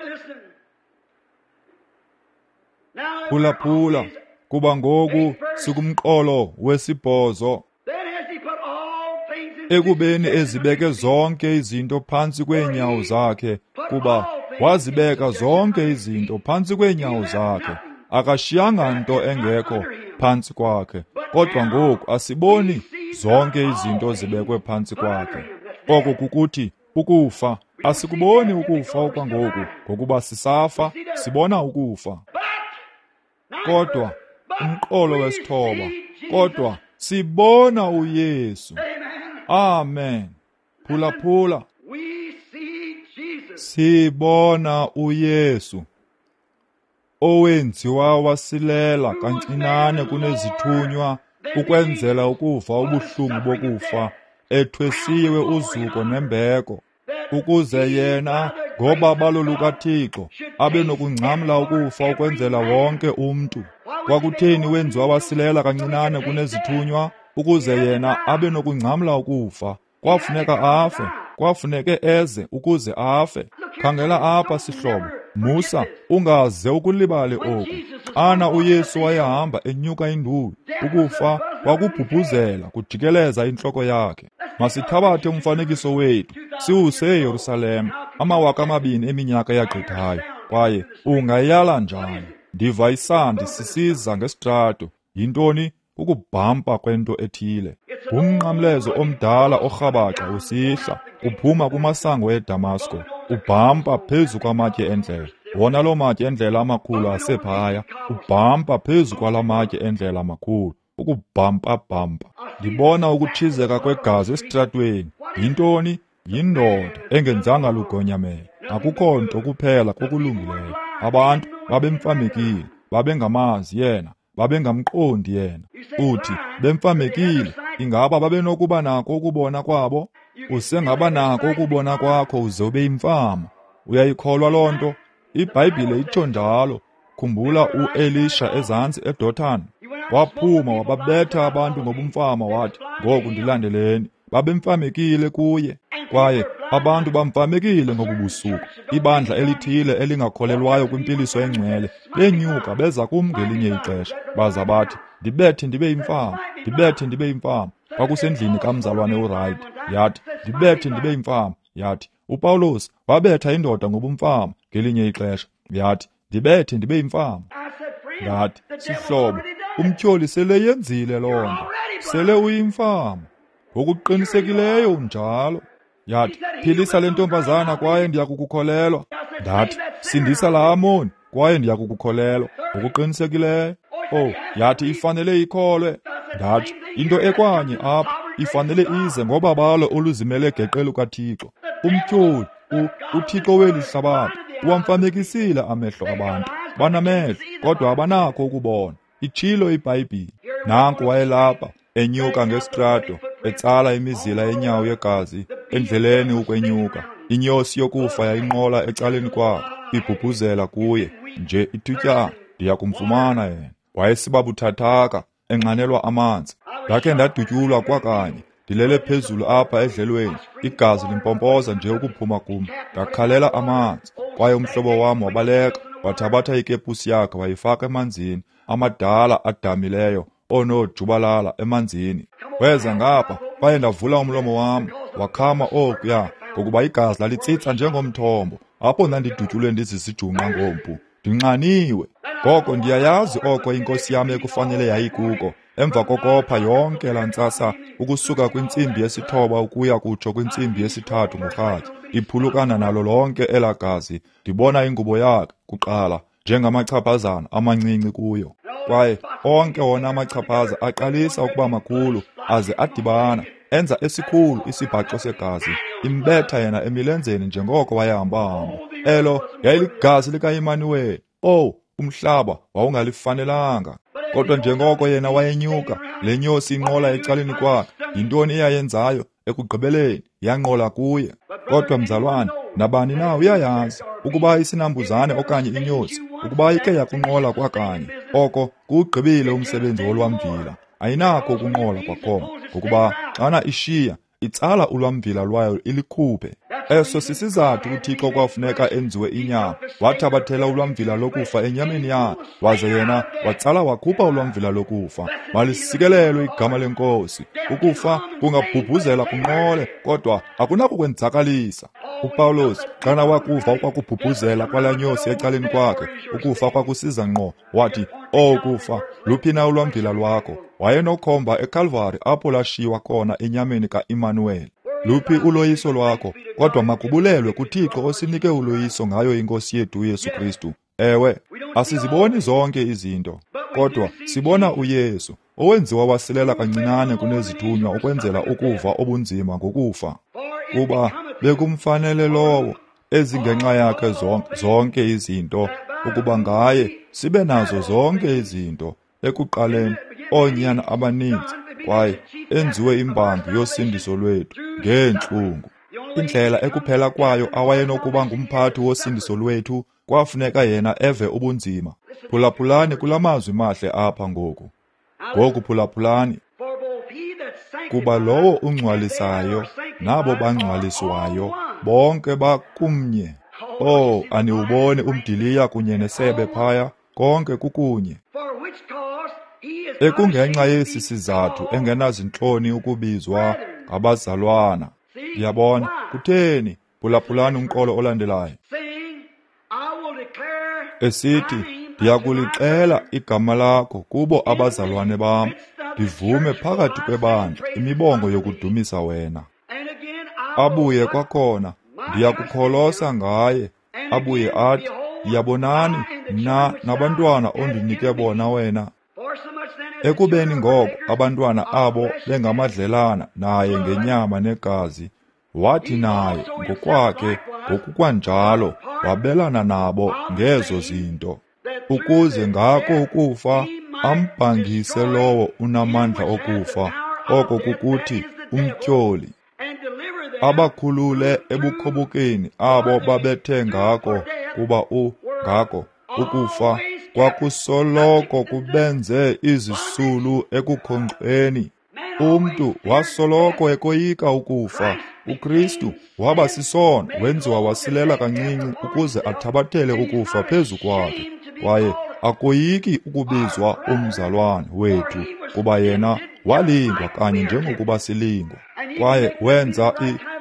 Phulaphula, kuba ngoku sikumqolo wesibhozo. Ekubeni ezibeke zonke izinto phantsi kweenyawo zakhe, kuba wazibeka zonke izinto phantsi kweenyawo zakhe, akashiyanga nto engekho phantsi kwakhe. Kodwa ngoku asiboni zonke izinto zibekwe phantsi kwakhe. Oko kukuthi ukufa, asikuboni ukufa okwangoku, ngokuba sisafa, sibona ukufa. Kodwa umqolo wesithoba, kodwa sibona uYesu. Amen. Phulaphula. Sibona uYesu owenziwa wasilela kancinane kunezithunywa ukwenzela ukuva ubuhlungu bokufa, ethwesiwe uzuko nembeko, ukuze yena ngobabalo lukaThixo abe nokungcamla ukufa ukwenzela wonke umntu. Kwakutheni wenziwa wasilela kancinane kunezithunywa? Ukuze yena abe nokungcamla ukufa. Kwafuneka afe, kwafuneke eze ukuze afe. Khangela apha sihlobo, musa ungaze ukulibale oku. Xana uYesu wayehamba enyuka induli, ukufa kwakubhubhuzela kujikeleza intloko yakhe. Masithabathe umfanekiso wethu siwuse eYerusalem, 2000 eminyaka eyagqithayo. Kwaye ungayala njani? Ndiva isandi sisiza ngesitrato. Yintoni? Kukubhampa kwento ethile. Ngumnqamlezo omdala orhabaxa usihla uphuma kumasango eDamasko, ubhampa phezu kwamatye endlela. Wona loo matye endlela amakhulu asephaya, ubhampa phezu kwala matye endlela amakhulu, ukubhampa-bhampa. Ndibona ukutshizeka kwegazi esitratweni. Yintoni? Yindoda engenzanga lugonyamelo. Akukho nto kuphela kokulungileyo. Abantu babemfamekile, babengamazi yena, babengamqondi yena. Uthi bemfamekile, ingaba babenokuba nako ukubona kwabo? Usengaba nako ukubona kwakho uze ube yimfama. Uyayikholwa loo nto? iBhayibhile itsho njalo. Khumbula uElisha ezantsi eDothan, waphuma wababetha abantu ngobumfama, wathi, ngoku ndilandeleni. Babemfamekile kuye, kwaye abantu bamfamekile ngobubusuku. Ibandla elithile elingakholelwayo kwimpiliso engcwele benyuka beza kum ngelinye ixesha, baza bathi, ndibethe ndibe yimfama, ndibethe ndibe yimfama. Kwakusendlini kamzalwane uWright. Yathi, ndibethe ndibe yimfama. Yathi, uPawulos wabetha indoda ngobumfama ngelinye ixesha. Yathi, ndibethe ndibe yimfama. Ndathi, sihlobo, umtyholi sele yenzile loo nto, sele uyimfama ngokuqinisekileyo unjalo. Yathi, philisa le ntombazana kwaye ndiyakukukholelwa. Ndathi, sindisa laa Amoni kwaye ndiyakukukholelwa ngokuqinisekileyo. Oh, yathi ifanele ikholwe. Ndathi, into ekwanye apha ifanele ize ngobabalo oluzimele geqe lukaThixo. Umtyholi, uThixo weli hlabathi, uwamfamekisile amehlo abantu. Banamehlo kodwa abanakho ukubona. Itshilo iBhayibhile. Nanku wayelapha enyuka ngesitrato, etsala imizila yenyawo yegazi endleleni ukwenyuka. Inyosi yokufa yayinqola ecaleni kwakhe, ibhubhuzela kuye nje ithutyana, ndiyakumfumana yena. Wayesiba buthathaka, enxanelwa amanzi. Ndakhe ndadutyulwa kwakanye, ndilele phezulu apha edlelweni, igazi limpompoza nje ukuphuma kum. Ndakhalela amanzi, kwaye umhlobo wam wabaleka. Wathabatha ikepusi yakhe wayifaka emanzini, amadala adamileyo onoojubalala emanzini. Weza ngapha, kwaye ndavula umlomo wam, wakhama okuya, ngokuba igazi lalitsitsa njengomthombo, apho ndandidutyulwe ndizisijungqa ngompu, ndinxaniwe. Ngoko ndiyayazi oko inkosi yam ekufanele yayikuko, emva kokopha yonke laa ntsasa ukusuka kwintsimbi yesithoba ukuya kutsho kwintsimbi yesithathu ngorhatya, iphulukana nalo lonke elaa gazi. Ndibona ingubo yakhe kuqala njengamachaphazana amancinci kuyo, kwaye onke wona amachaphaza aqalisa ukuba makhulu aze adibana enza esikhulu isibhaxo segazi, imbetha yena emilenzeni njengoko wayehamba-hamba. Elo yayiligazi likaImanuweli. Owu, umhlaba wawungalifanelanga. Kodwa njengoko yena wayenyuka, le nyosi inqola ecaleni kwakhe, yintoni eyayenzayo? Ekugqibeleni yanqola kuye. Kodwa mzalwane, nabani na uyayazi ukuba isinambuzane okanye inyosi, ukuba ike yakunqola kwakanye, oko kuwugqibile umsebenzi wolwamvila. Ayinakho ukunqola kwakhona, ngokuba xana ishiya, itsala ulwamvila lwayo ilikhuphe. Eso sisizathu uThixo kwafuneka enziwe inyama. Wathabathela ulwamvila lokufa enyameni yakhe, waze yena watsala wakhupha ulwamvila lokufa. Malisikelelwe igama leNkosi. Ukufa kungabhubhuzela kunqole, kodwa akunakukwenzakalisa. UPawulos xana wakuva okwakubhubhuzela kwalaa nyosi ecaleni kwakhe, ukufa kwakusiza ngqo, wathi, "O kufa, luphi na ulwamvila lwakho?" Wayenokhomba eKalvari apho lashiywa khona enyameni kaImanuweli. Luphi uloyiso lwakho? Kodwa makubulelwe kuThixo osinike uloyiso ngayo iNkosi yethu uYesu Kristu. Ewe, asiziboni zonke izinto, kodwa sibona uYesu, owenziwa wasilela kancinane kunezithunywa ukwenzela ukuva obunzima ngokufa. Kuba bekumfanele lowo, ezingenxa yakhe zonke izinto, ukuba ngaye sibe nazo zonke izinto, ekuqaleni oonyana abaninzi, kwaye enziwe imbangi yosindiso lwethu ngeentlungu. Indlela ekuphela kwayo awayenokuba ngumphathi wosindiso lwethu, kwafuneka yena eve ubunzima. Phulaphulani kula mazwi mahle apha ngoku. Ngoku phulaphulani. Kuba lowo ungcwalisayo nabo bangcwaliswayo bonke bakumnye. Oh, aniwuboni umdiliya kunye nesebe phaya, konke kukunye. Ekungenxa yesi sizathu engenazintloni ukubizwa ngabazalwana. Ndiyabona kutheni. Phulaphulani umqolo olandelayo. Esithi, ndiyakulixela igama lakho kubo abazalwane bam, ndivume phakathi kwebandla imibongo yokudumisa wena. Abuye kwakhona, ndiyakukholosa ngaye. Abuye athi, yabonani, mna nabantwana ondinike bona wena. Ekubeni ngoko abantwana abo bengamadlelana naye ngenyama negazi, wathi naye ngokwakhe ngokukwanjalo wabelana nabo ngezo zinto, ukuze ngako ukufa ambhangise lowo unamandla okufa, oko kukuthi umtyholi, abakhulule ebukhobokeni abo babethe ngako, kuba ngako ukufa kwakusoloko kubenze izisulu ekukhonkxweni. Umntu wasoloko ekoyika ukufa. uKristu waba sisono, wenziwa wasilela kancinci ukuze athabathele ukufa phezu kwakhe. Kwaye akoyiki ukubizwa umzalwane wethu, kuba yena walingwa kanye njengokuba silingwa. Kwaye wenza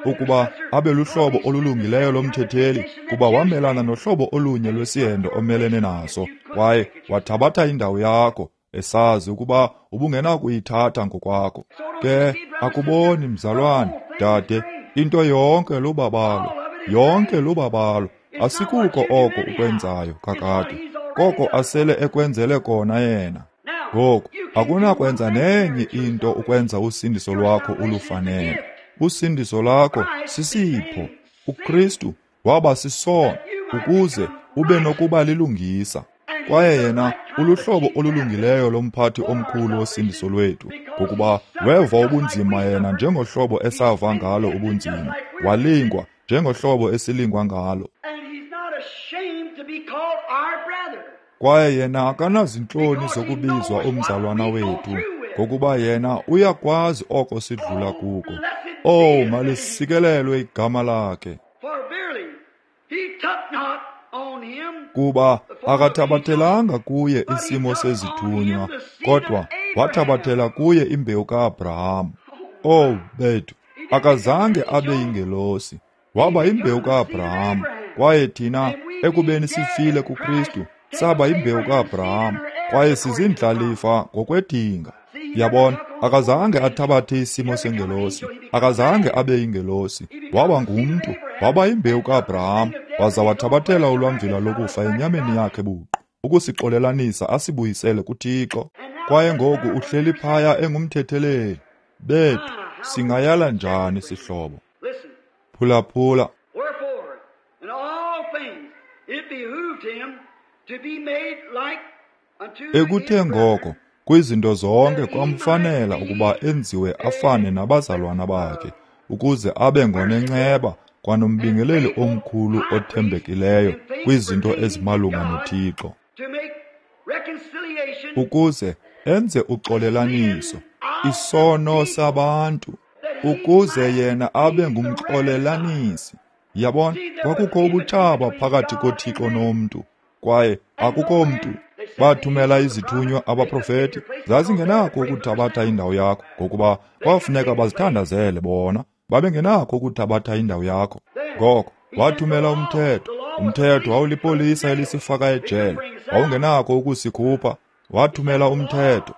ukuba abe luhlobo olulungileyo lomthetheli, kuba wamelana nohlobo olunye lwesihendo omelene naso. Kwaye wathabatha indawo yakho, esazi ukuba ubungenakuyithatha ngokwakho. Ke akuboni mzalwane, dade, into yonke lubabalo, yonke lubabalo. Asikuko oko ukwenzayo kakade, koko asele ekwenzele kona yena. Ngoku akunakwenza nenye into ukwenza usindiso lwakho ulufanele. Usindiso lwakho sisipho. uKristu waba sisono ukuze ube nokuba lilungisa. Kwaye yena uluhlobo olulungileyo lomphathi omkhulu wosindiso lwethu, ngokuba weva ubunzima yena njengohlobo esava ngalo ubunzima, walingwa njengohlobo esilingwa ngalo. Kwaye yena akanazintloni zokubizwa umzalwana wethu, ngokuba yena uyakwazi oko sidlula kuko. Oh, malisikelelwe igama lakhe. Kuba akathabathelanga kuye isimo sezithunywa, kodwa wathabathela kuye imbewu kaAbraham. Oh bethu, akazange abe yingelosi, waba yimbewu kaAbraham. Kwaye thina, ekubeni sifile kuKristu, saba yimbewu kaAbraham, kwaye sizindlalifa ngokwedinga. Yabona, akazange athabathe isimo sengelosi, akazange abe yingelosi, waba ngumntu, waba yimbewu kaAbraham, waza wathabathela ulwamvila lokufa enyameni yakhe buqu, ukusixolelanisa asibuyisele kuThixo. Kwaye ngoku uhleli phaya engumthetheleli. Bethu, singayala njani sihlobo? Phulaphula. Ekuthe ngoko kwizinto zonke kwamfanela ukuba enziwe afane nabazalwana bakhe, ukuze abe ngonenceba kwanombingeleli omkhulu othembekileyo kwizinto ezimalunga noThixo, ukuze enze uxolelaniso isono sabantu, ukuze yena abe ngumxolelanisi. Yabona, kwakukho ubutshaba phakathi koThixo nomntu, kwaye akukho mntu. Bathumela izithunywa abaprofeti, zazingenakho ukuthabatha indawo yakho, ngokuba kwafuneka bazithandazele bona, babengenakho ukuthabatha indawo yakho. Ngoko wathumela umthetho. Umthetho wawulipolisa elisifaka ejele, wawungenakho ukusikhupha. Wathumela umthetho,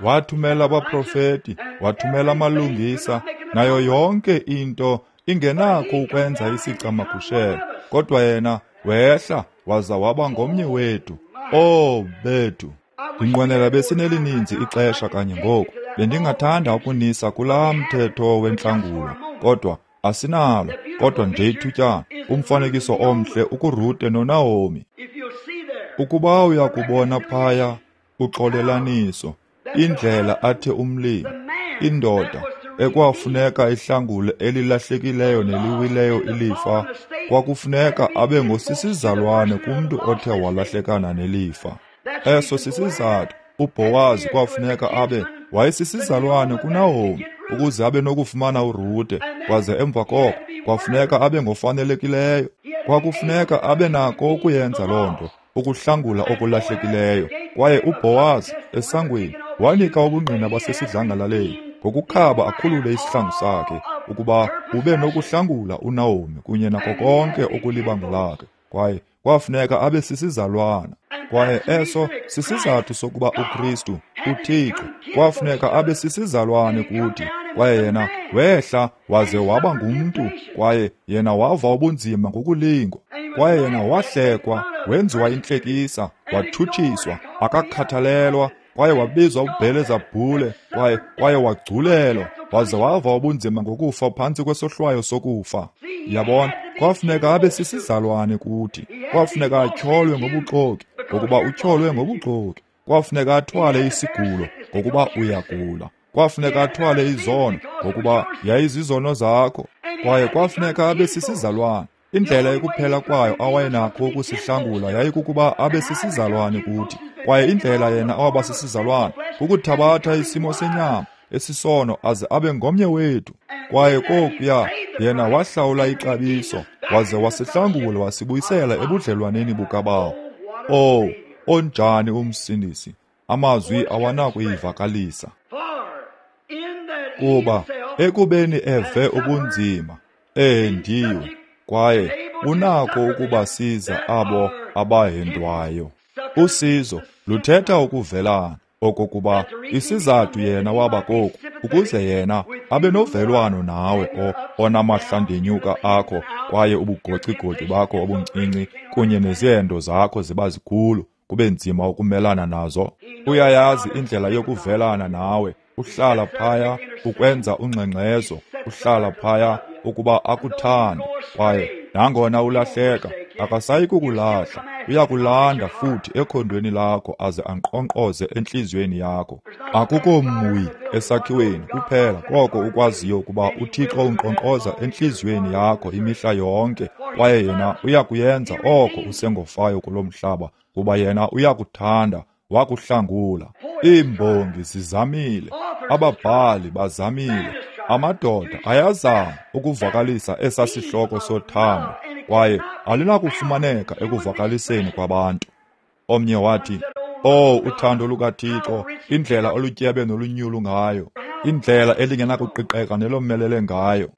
wathumela abaprofeti, wathumela amalungisa, nayo yonke into ingenakho ukwenza isicamagushelo. Kodwa yena wehla waza waba ngomnye wethu. Oh bethu, ndinqwenela besinelininzi ixesha kanye ngoku. Bendingathanda ukunisa kulaa mthetho wentlangulo, kodwa asinalo. Kodwa nje ithutyana, umfanekiso omhle ukuRute noNaomi. Ukuba uyakubona phaya uxolelaniso, indlela athe umlimi, indoda ekwafuneka ihlangule elilahlekileyo neliwileyo ilifa, kwakufuneka abe ngosisizalwane kumntu othe walahlekana nelifa. Eso sisizathu uBhowazi kwafuneka abe wayesisizalwane kuNaomi, ukuze abe nokufumana uRute, kwaze emva koko kwafuneka abe ngofanelekileyo. Kwakufuneka abe nako ukuyenza loo nto, ukuhlangula okulahlekileyo. Kwaye uBhowazi esangweni wanika ubungqina basesidlangalaleni ngokukhaba akhulule isihlangu sakhe, ukuba ube nokuhlangula uNaomi kunye nako konke okulibango lakhe. Kwaye kwafuneka abe sisizalwana. Kwaye eso sisizathu sokuba uKristu, uThixo, kwafuneka abe sisizalwane kuthi. Kwaye yena wehla waze waba ngumntu, kwaye yena wava ubunzima ngokulingwa. Kwaye yena wahlekwa, wenziwa intlekisa, wathutshiswa, akakhathalelwa, kwaye wabizwa uBhelezabhule, kwaye wagculelwa, waze wava ubunzima ngokufa phantsi kwesohlwayo sokufa. Yabona, kwafuneka abe sisizalwane kuthi. Kwafuneka atyholwe ngobuxoki, ngokuba utyholwe ngobuxoki. Kwafuneka athwale isigulo, ngokuba uyagula. Kwafuneka athwale izono, ngokuba yayizizono zakho. Kwaye kwafuneka abe sisizalwane. Indlela ekuphela kwayo awayenakho ukusihlangula yayikukuba abe sisizalwane kuthi. Kwaye indlela yena awaba sisizalwane kukuthabatha isimo senyama esisono aze abe ngomnye wethu. Kwaye kokuya yena wahlawula ixabiso, waze wasihlangula wasibuyisela ebudlelwaneni bukaBawo. Oh, onjani umsindisi! Amazwi awanakuyivakalisa. Kuba ekubeni eve ubunzima, ehendiwe, kwaye unako ukubasiza abo abahendwayo. Usizo luthetha ukuvelana, okokuba isizathu yena waba koku, ukuze yena abe novelwano nawe onamahlandenyuka akho, kwaye ubugocigoci bakho obuncinci kunye nezihendo zakho ziba zikhulu, kube nzima ukumelana nazo. Uyayazi indlela yokuvelana nawe. Uhlala phaya ukwenza ungxengxezo, uhlala phaya ukuba akuthande. Kwaye nangona ulahleka, akasayi kukulahla, uyakulanda futhi ekhondweni lakho aze ankqonkqoze entliziyweni yakho. Akukho mwi esakhiweni kuphela koko ukwaziyo ukuba uThixo unkqonkqoza entliziyweni yakho imihla yonke, kwaye yena uyakuyenza oko usengofayo kulo mhlaba, kuba yena uyakuthanda, wakuhlangula. Iimbongi zizamile, ababhali bazamile, amadoda ayazama ukuvakalisa esa sihloko sothando. kwaye alinakufumaneka ekuvakaliseni kwabantu. Omnye wathi, "Oh, uthando lukaThixo, indlela olutyebe nolunyulu ngayo, indlela elingenakuqiqeka nelomelele ngayo.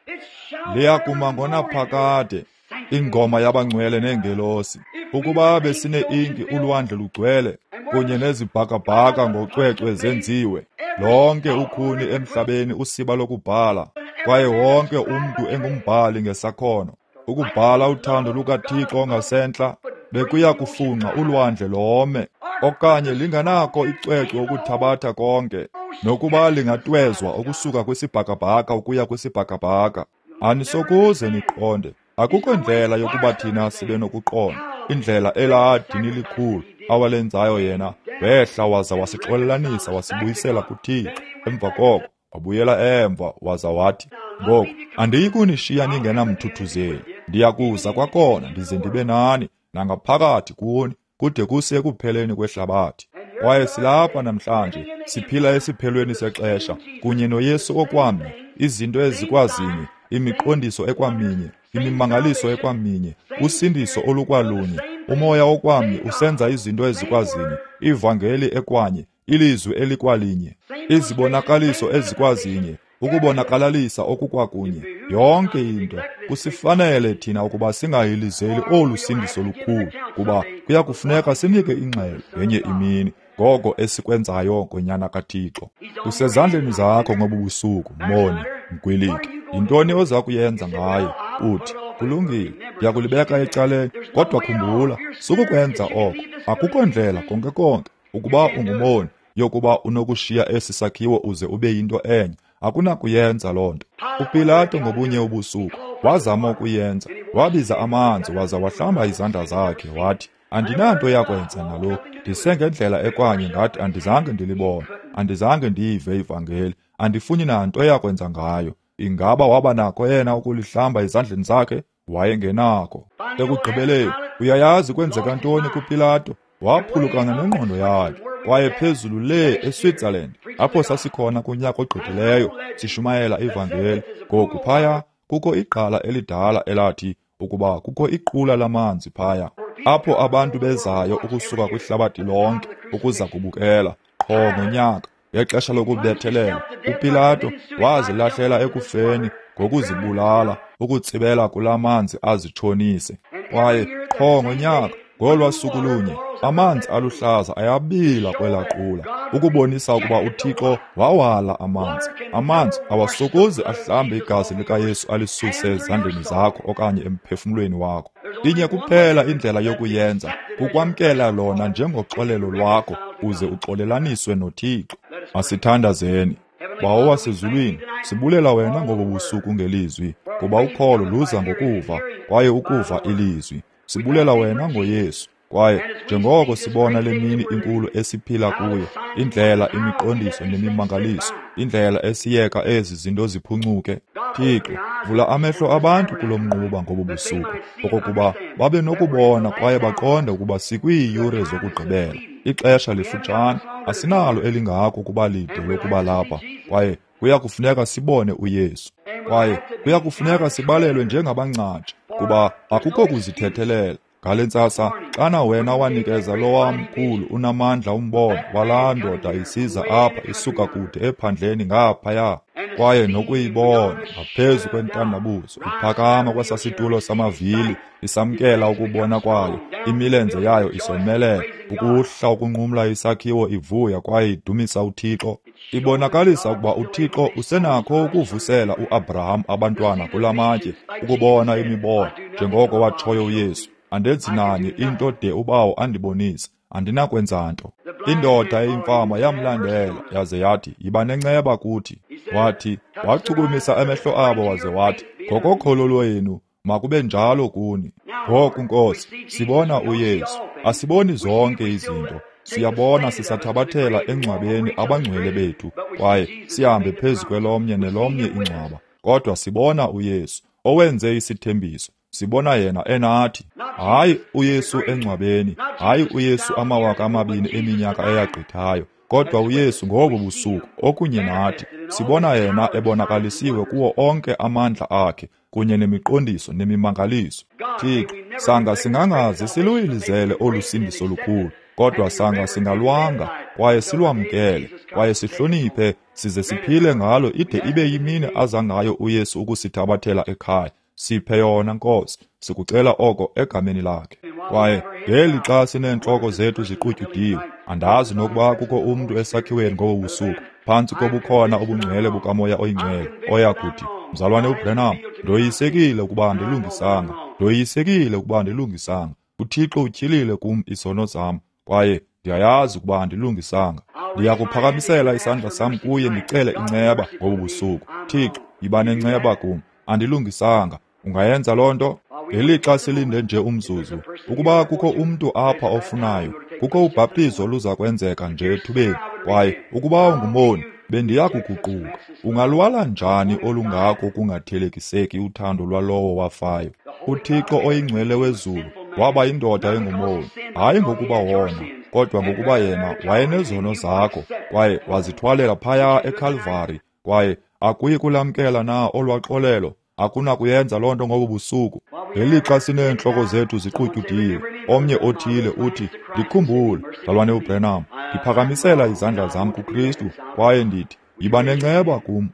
Liyakuma ngonaphakade, ingoma yabangcwele neengelosi. Ukuba besine-inki ulwandle lugcwele, kunye nezibhakabhaka ngocwecwe zenziwe, lonke ukhuni emhlabeni usiba lokubhala, kwaye wonke umntu engumbhali ngesakhono. Ukubhala uthando lukaThixo ngasentla, bekuya kufunxa ulwandle lome, okanye linganako icwecwe ukuthabatha konke, nokuba lingatwezwa ukusuka kwisibhakabhaka ukuya kwisibhakabhaka. Anisokuze niqonde. Akukho ndlela yokuba thina sibe nokuqonda indlela elaa dini likhulu awalenzayo yena. Wehla waza wasixolelanisa wasibuyisela kuThixo. Emva koko wabuyela emva waza wathi, ngoku andiyi kunishiya ningenamthuthuzeli, ndiya kuza kwakhona ndize ndibe nani nangaphakathi kuni kude kuse ekupheleni kwehlabathi. Kwaye silapha namhlanje, siphila esiphelweni sexesha kunye noYesu okwamnye, izinto ezikwazinye, imiqondiso ekwaminye, imimangaliso ekwaminye, usindiso olukwalunye, umoya okwamnye usenza izinto ezikwazinye, ivangeli ekwanye, ilizwi elikwalinye, izibonakaliso ezikwazinye, ukubonakalalisa okukwakunye, yonke into. Kusifanele thina ukuba singahilizeli olu sindiso lukhulu, kuba kuya kufuneka sinike ingxelo ngenye imini ngoko esikwenzayo ngoNyana kaThixo. Kusezandleni zakho ngobu busuku, moni, mgwiliki. Yintoni oza kuyenza ngayo? Uthi, kulungile, ndiyakulibeka ecaleni. Kodwa khumbula, sukukwenza oko. Akukho ndlela konke konke, ukuba ungumoni, yokuba unokushiya esi sakhiwo uze ube yinto enye. Akunakuyenza loo nto. UPilato ngobunye ubusuku wazama ukuyenza. Wabiza amanzi waza wahlamba izandla zakhe, wathi, andinanto yakwenza nalo, ndisengendlela ekwanye ngathi andizange ndilibone, andizange ndiyive ivangeli, andifuni nanto yakwenza ngayo. Ingaba waba nako yena ukulihlamba ezandleni zakhe? Wayengenako. Ekugqibeleni, uyayazi kwenzeka ntoni kuPilato? Waphulukana nengqondo yakhe. Kwaye phezulu le eSwitzerland, apho sasikhona kunyaka ogqithileyo sishumayela ivangeli, ngoku phaya kukho igqala elidala elathi ukuba kukho iqula lamanzi phaya, apho abantu bezayo ukusuka kwihlabathi lonke ukuza kubukela qho ngonyaka. Ngexesha lokubethelela, uPilato wazilahlela ekufeni ngokuzibulala, ukutsibela kula manzi azitshonise. Kwaye qho ngonyaka, ngolwa suku lunye, amanzi aluhlaza ayabila kwelaa qula, ukubonisa ukuba uThixo wawala amanzi. Amanzi awasokuze ahlambe igazi likaYesu alisuse ezandleni zakho okanye emphefumlweni wakho. Inye kuphela indlela yokuyenza, kukwamkela lona njengoxolelo lwakho uze uxolelaniswe noThixo. Masithandazeni. Bawo wasezulwini, sibulela wena ngobu busuku ngelizwi, kuba ukholo luza ngokuva, kwaye ukuva ilizwi. Sibulela wena ngoYesu, kwaye njengoko sibona le mini inkulu esiphila kuyo, indlela imiqondiso nemimangaliso, indlela esiyeka ezi zinto ziphuncuke. Thixo, vula amehlo abantu kulo mnquba ngobu busuku, okokuba babe nokubona kwaye baqonde ukuba sikwiiyure zokugqibela. Ixesha lifutshane, asinalo elingako ukuba lide lokuba lapha, kwaye kuya kufuneka sibone uYesu. Kwaye kuya kufuneka sibalelwe njengabangcatsha, kuba akukho kuzithethelela. Ngale ntsasa, xana wena wanikeza lowa mkhulu unamandla umbono walaa ndoda isiza apha isuka kude ephandleni ngaphaya, kwaye nokuyibona ngaphezu kwentandabuzo iphakama kwesasitulo samavili, isamkela ukubona kwayo, imilenze yayo isomelela, ukuhla ukunqumla isakhiwo ivuya kwaye idumisa uThixo. Ibonakalisa ukuba uThixo usenakho ukuvusela uAbraham abantwana kula matye, ukubona imibono, njengoko watshoyo uYesu. Andenzi nanye into de uBawo andibonise, andinakwenza nto. Indoda eyimfama yamlandela yaze yathi, yiba nenceba kuthi. Wathi, wachukumisa amehlo abo waze wathi, ngokokholo lwenu makube njalo kuni. Ngoku Nkosi, sibona uYesu, asiboni zonke izinto. Siyabona sisathabathela engcwabeni abangcwele bethu, kwaye sihambe phezu kwelomnye nelomnye ingcwaba. Kodwa sibona uYesu, owenze isithembiso. Sibona yena enathi. Hayi uYesu engcwabeni, hayi uYesu 2000 eminyaka eyagqithayo, Kodwa uYesu ngobu busuku okunye nathi, sibona yena ebonakalisiwe kuwo onke amandla akhe kunye nemiqondiso nemimangaliso. Thixo, sanga singangaze siluyilizele olu sindiso lukhulu, kodwa sanga singalwanga kwaye silwamkele kwaye sihloniphe size siphile ngalo ide ibe yimini aza ngayo uYesu ukusithabathela ekhaya. Siphe yona, Nkosi, sikucela oko egameni lakhe. Kwaye ngeli xa sineentloko zethu ziqutyudiwe, andazi nokuba kukho umntu esakhiweni ngobu busuku phantsi kobukhona obungcwele bukaMoya oyiNgcwele oya kuthi, Mzalwane uBranham, ndoyisekile ukuba andilungisanga, ndoyisekile ukuba andilungisanga. UThixo utyhilile kum isono zam, kwaye ndiyayazi ukuba andilungisanga. Ndiyakuphakamisela isandla sam kuye ndicele inceba ngobu busuku. Thixo, yiba nenceba kum, andilungisanga. Ungayenza loo nto? Ngelixa silinde nje umzuzu, ukuba kukho umntu apha ofunayo, kukho ubhaptizo oluza kwenzeka nje ethubeni, kwaye ukuba ungumoni, bendiya kuguquka. Ungalwala njani olungako kungathelekiseki uthando lwalowo wafayo? UThixo oyingcwele wezulu waba yindoda engumoni, hayi ngokuba wona, kodwa ngokuba yena wayenezono zakho, kwaye wazithwalela phaya eKalvari. Kwaye akuyi kulamkela na olwaxolelo? Akunakuyenza loo nto ngobu busuku. Ngelixa sineentloko zethu ziqutyudiwe, omnye othile uthi, ndikhumbule, Mzalwane uBranham, ndiphakamisela izandla zam kuKristu kwaye ndithi, yiba nenceba kum,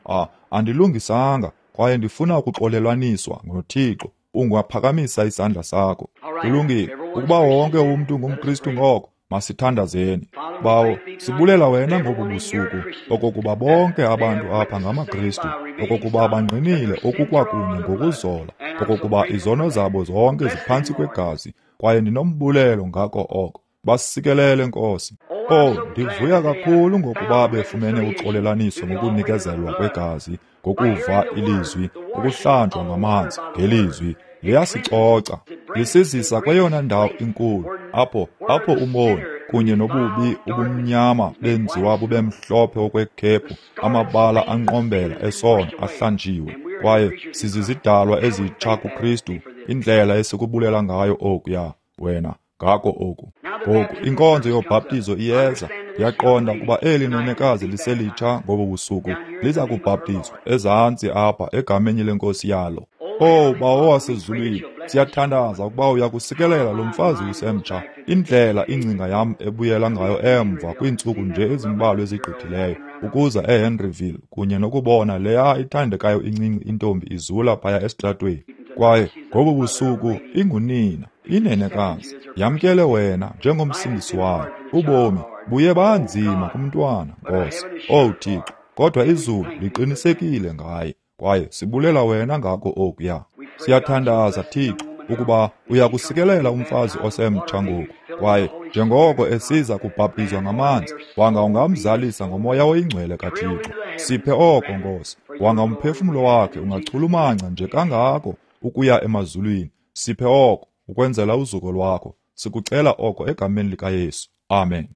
andilungisanga kwaye ndifuna ukuxolelwaniswa noThixo. Ungaphakamisa isandla sakho. Kulungile. Ukuba wonke umntu ngumKristu ngoko, masithandazeni. Bawo, sibulela wena ngobu busuku okokuba bonke abantu apha ngamaKristu, okokuba bangqinile okukwakunye ngokuzola, okokuba izono zabo zonke ziphantsi kwegazi, kwaye ndinombulelo ngako oko. Basikelele, Nkosi. Oh, ndivuya kakhulu ngokuba befumene uxolelaniso ngokunikezelwa kwegazi, ngokuva ilizwi, ukuhlanjwa ngamanzi ngelizwi. Liyasicoca, lisizisa kweyona ndawo inkulu, apho umoni kunye nobubi ubumnyama benziwa bube mhlophe okwekhephu, amabala anqombela esono ahlanjiwe, kwaye sizizidalwa ezitsha kuKristu. Indlela esikubulela ngayo okuya wena ngako oku. Ngoku inkonzo yobhaptizo iyeza. Ndiyaqonda ukuba eli nenekazi liselitsha ngobu busuku liza kubhaptizwa ezantsi apha egameni lenkosi yalo. Oh, Bawo wasezulwini, siyathandaza ukuba uyakusikelela lo mfazi usemtsha. Indlela ingcinga yam ebuyela ngayo emva kwiintsuku nje ezimbalwa ezigqithileyo ukuza eHenryville kunye nokubona leya ithandekayo incinci intombi izula phaya esitratweni. Kwaye ngobu busuku ingunina, inenekazi, yamkele wena njengomsindisi wayo. Ubomi buye banzima kumntwana, Nkosi. Oh Thixo, kodwa izulu liqinisekile ngaye, kwaye sibulela wena ngako okuya. Siyathandaza, Thixo, ukuba uyakusikelela umfazi osemtsha ngoku, kwaye njengoko esiza kubhaptizwa ngamanzi, wanga ungamzalisa ngoMoya oyiNgcwele kaThixo. Siphe oko, Nkosi. Wanga umphefumlo wakhe ungachulumanca nje kangako ukuya emazulwini. Siphe oko ukwenzela uzuko lwakho. Sikucela oko egameni likaYesu. Amen.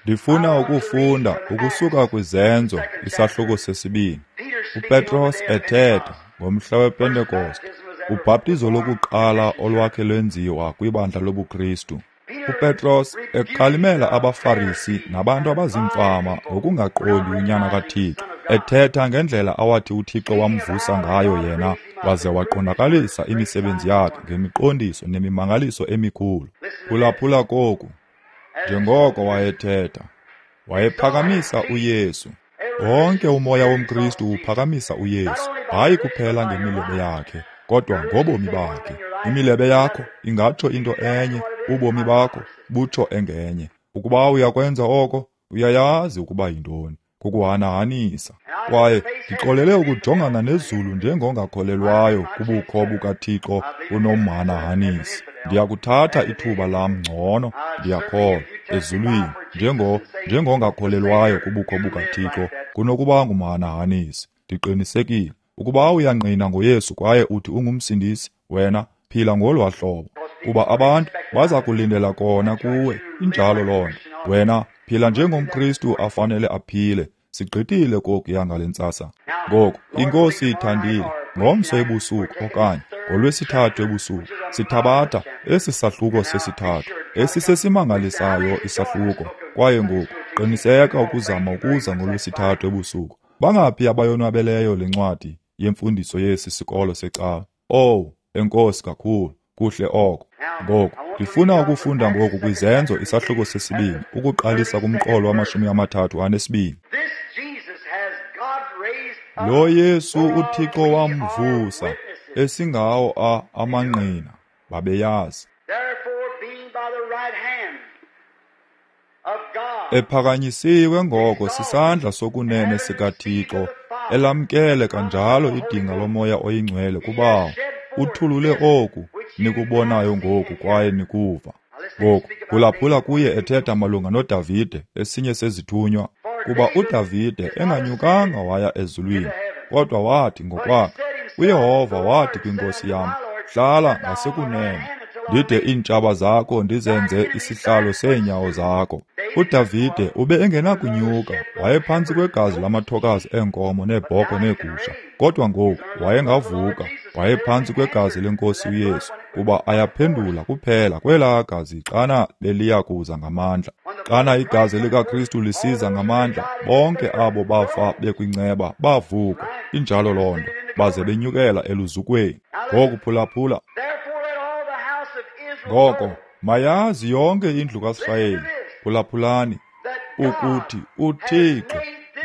Ndifuna ukufunda ukusuka kwiZenzo isahluko sesibini. uPetros ethetha ngomhla wePentekoste, ubhaptizo lokuqala olwakhe lwenziwa kwibandla lobuKristu. uPetros ekhalimela abaFarisi nabantu abazimfama ngokungaqondi uNyana kaThixo, ethetha ngendlela awathi uThixo wamvusa ngayo yena waze waqondakalisa imisebenzi yakhe ngemiqondiso nemimangaliso emikhulu. Phulaphula koku. Njengoko wayethetha, wayephakamisa uYesu. Wonke umoya womKristu uphakamisa uYesu, hayi kuphela ngemilebe yakhe, kodwa ngobomi bakhe. Imilebe yakho ingatsho into enye, ubomi bakho butsho engenye. Ukuba uyakwenza oko, uyayazi ukuba yintoni, kukuhanahanisa. Kwaye ndixolele ukujongana nezulu njengongakholelwayo kubukho bukaThixo unomhanahanisi. Ndiyakuthatha ithuba lam ngcono, ndiyakholwa, ezulwini, njengongakholelwayo kubukho bukaThixo kunokuba ngumhanahanisi. Ndiqinisekile ukuba uyangqina ngoYesu kwaye uthi ungumsindisi, wena phila ngolwa hlobo, kuba abantu baza kulindela kona kuwe. Injalo loo nto. Wena phila njengomKristu afanele aphile. Sigqithile kokuya ngale ntsasa. Ngoku iNkosi ithandile, ngomso ebusuku okanye ngolwesithathu ebusuku sithabatha esi sahluko sesithathu. Esisesimangalisayo isahluko. Kwaye ngoku qiniseka ukuzama ukuza ngoLwesithathu ebusuku. Bangaphi abayonwabeleyo le ncwadi yemfundiso yesi sikolo secawa? Owu, enkosi kakhulu. Kuhle oko. Ngoku ndifuna ukufunda ngoku kwiZenzo isahluko sesibini, ukuqalisa kumqolo wamashumi amathathu anesibini. Lo Yesu uThixo wamvusa, esingawo amangqina, babeyazi. Ephakanyisiwe ngoko sisandla sokunene sikaThixo, elamkele kanjalo idinga loMoya oyiNgcwele kuBawo. Uthulule oku nikubonayo ngoku kwaye nikuva. Ngoku phulaphula kuye ethetha malunga noDavide, esinye sezithunywa, kuba uDavide enganyukanga waya ezulwini, kodwa wathi ngokwakhe, uYehova wathi kwinkosi yam, hlala ngasekunene, ndide iintshaba zakho ndizenze isihlalo seenyawo zakho. uDavide ube engenakunyuka, wayephantsi kwegazi lamathokazi eenkomo neebhokhwe neegusha, kodwa ngoku wayengavuka, wayephantsi kwegazi lenkosi uYesu, kuba ayaphendula kuphela kwelaa gazi xana beliya kuza ngamandla. Xana igazi likaKristu lisiza ngamandla, bonke abo bafa bekwinceba bavuka. Injalo loo nto, baze benyukela eluzukweni. Ngoku phulaphula. Ngoko mayazi yonke indlu kaSirayeli, phulaphulani, ukuthi uThixo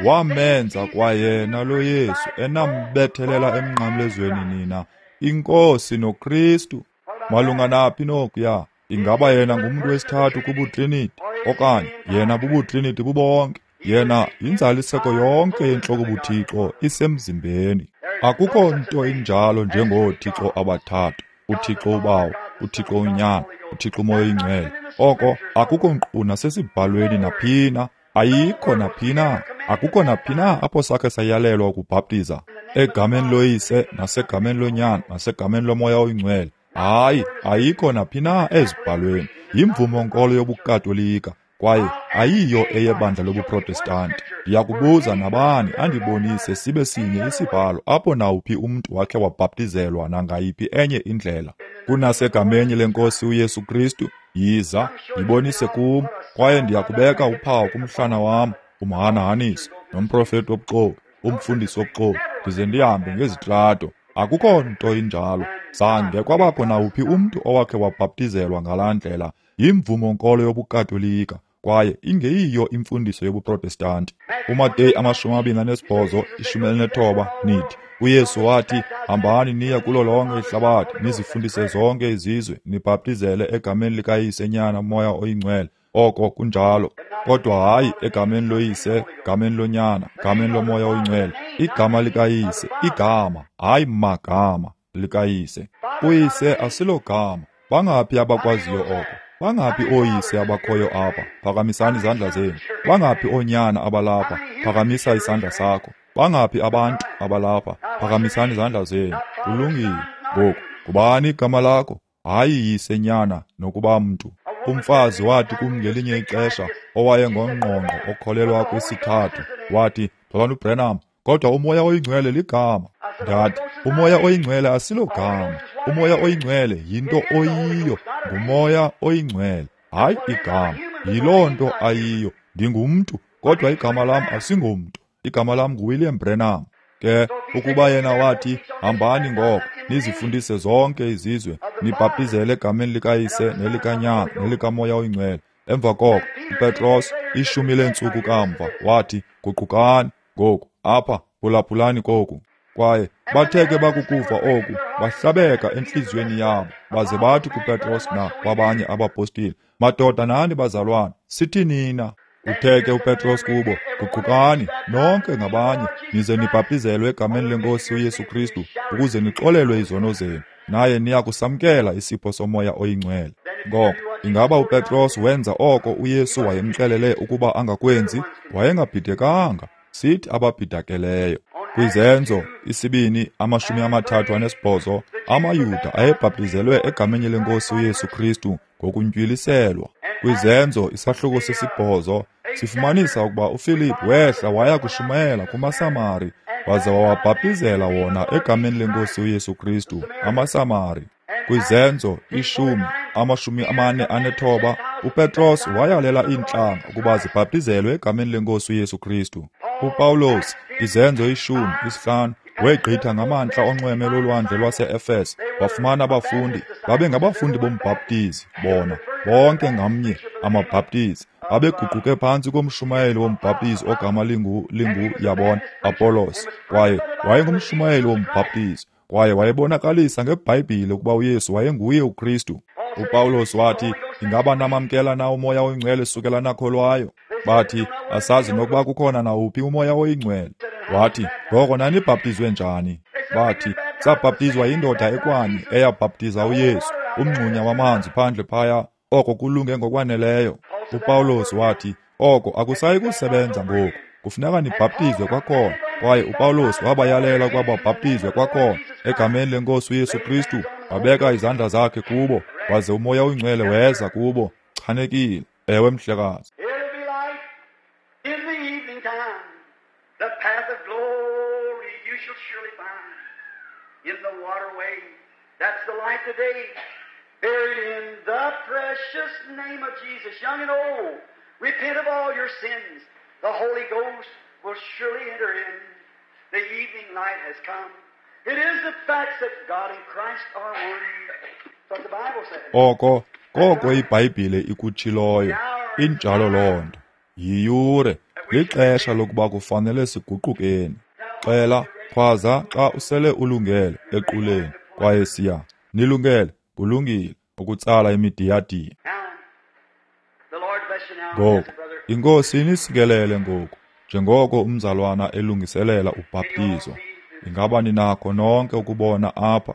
wamenza kwayena lo Yesu enambethelela emnqamlezweni nina, iNkosi noKristu. Malunga naphi nokuya? Ingaba yena ngumntu wesithathu kubutriniti, okanye yena bubutriniti bubonke? Yena yinzaliseko yonke yentloko buThixo isemzimbeni. Akukho nto injalo njengooThixo abathathu, uThixo uBawo, uThixo uNyana, uThixo uMoya oyiNgcwele. Oko akukho nkqu nasesibhalweni naphina, ayikho naphina, akukho naphina apho sakhe sayalelwa ukubhaptiza egameni loYise nasegameni loNyana nasegameni loMoya oyiNgcwele. Hayi, ayikho naphina ezibhalweni. Yimvumo nkolo yobuKatolika kwaye ayiyo eyebandla lobuProtestanti. Ndiyakubuza nabani andibonise sibe sinye isibhalo apho nawuphi umntu wakhe wabhaptizelwa nangayiphi enye indlela kunasegameni lenkosi uYesu Kristu. Yiza, yibonise kum, kwaye ndiyakubeka uphawu kumhlana wam, umhanahaniso nomprofeti wobuxoki, umfundisi wobuxoki, ndize ndihambe ngezitrato. Akukho nto injalo. Zange kwabakho nawuphi umntu owakhe wabhaptizelwa ngalaa ndlela. Yimvumo nkolo yobuKatolika kwaye ingeyiyo imfundiso yobuProtestanti. UMateyu 28, 19 nithi, uYesu wathi, hambani niye kulo lonke ihlabathi, nizifundise zonke izizwe, nibhaptizele egameni likaYise, Nyana, Moya oyiNgcwele. Oko kunjalo, kodwa hayi egameni loYise, gameni loNyana, gameni loMoya oyiNgcwele. Igama likaYise, igama, hayi magama likaYise. UYise asilogama. Bangaphi abakwaziyo oko? Bangaphi ooyise abakhoyo apha? Phakamisani izandla zenu. Bangaphi oonyana abalapha? Phakamisa isandla sakho. Bangaphi abantu abalapha? Phakamisani izandla zenu. Kulungile. Ngoku, ngubani igama lakho? Hayi yise, nyana, nokuba mntu. Umfazi wathi kum ngelinye ixesha, owayengongqongqo okholelwa kwisithathu, wathi, Mzalwana uBranham, kodwa uMoya oyiNgcwele ligama. Ndathi, uMoya oyiNgcwele asilogama. uMoya oyiNgcwele yinto oyiyo, nguMoya oyiNgcwele, hayi igama. Yiloo nto ayiyo. Ndingumntu, kodwa igama lam asingomntu. Igama lam nguWilliam Branham. Ke ukuba yena wathi, hambani ngoko, nizifundise zonke izizwe, nibhaptizele egameni likaYise nelikaNyana nelikaMoya oyiNgcwele. Emva koko uPetros, 10 leentsuku kamva, wathi, guqukani. Ngoku apha phulaphulani koku. Kwaye bathe ke bakukuva oku, bahlabeka entliziyweni yabo, baze bathi kuPetros na kwabanye abapostile, madoda nani bazalwane, sithi nina? Uthe ke uPetros kubo, guqukani nonke ngabanye, nize nibhaptizelwe egameni lenkosi uYesu Kristu, ukuze nixolelwe izono zenu, naye niya kusamkela isipho soMoya oyiNgcwele. Ngoko ingaba uPetros wenza oko uYesu wayemxelele ukuba angakwenzi? Wayengabhidekanga. Sithi ababhidakeleyo. Kwizenzo 2 38, amaYuda ayebhaptizelwe egameni lenkosi uYesu Kristu ngokuntywilisela. Kwizenzo isahluko 8 sifumanisa ukuba uFilip wehla waya kushumayela kumaSamari, waze wawabhaptizela wona egameni lenkosi uYesu Kristu amaSamari. Kwizenzo 10 49, uPetros wayalela iintlanga ukuba zibhaptizelwe egameni leNkosi uYesu Kristu. UPawulos, Izenzo 10:5, wegqitha ngamantla onxweme lolwandle lwase-Efese, wafumana abafundi. Babengabafundi bombhaptizi bona, bonke ngamnye amabhaptizi. Babeguquke phantsi komshumayeli wombhaptizi ogama lingu yabona, Apollos, kwaye wayengumshumayeli wombhaptizi, kwaye wayebonakalisa ngeBhayibhile ukuba uYesu wayenguye uKristu. UPawulos wathi, ingaba namamkela na uMoya oyiNgcwele sukela nakholwayo? Bathi, asazi nokuba kukhona nawuphi uMoya oyiNgcwele. Wathi, ngoko nanibhaptizwe njani? Bathi, sabhaptizwa yindoda ekwanye eyabhaptiza uYesu, umngxunya wamanzi phandle phaya, oko kulunge ngokwaneleyo. UPawulos wathi, oko akusayi kusebenza ngoku, kufuneka nibhaptizwe kwakhona. Kwaye uPawulos wabayalela ukuba babhaptizwe kwakhona egameni leNkosi uYesu Kristu. Wabeka izandla zakhe kubo, waze uMoya oyiNgcwele weza kubo. Chanekile. Ewe, mhlekazi. It'll be light in the evening time. The path of glory you shall surely find in the waterway. That's the light today. Buried in the precious name of Jesus, young and old, repent of all your sins. The Holy Ghost will surely enter in. The evening light has come. It is the fact that God and Christ are one. That's what the Bible says. Oko koko iBhayibhile ikutshiloyo. Injalo loo nto. Yiyure, lixesha lokuba kufanele siguqukeni. Xela, khwaza xa usele ulungele equleni, kwaye siya. Nilungele, kulungile ukutsala imidiyadiya. Now, the Lord bless you now, Ngoku, brother. iNkosi inisikelele ngoku, njengoko umzalwana elungiselela ubhaptizo. Ingaba ninakho nonke ukubona apha?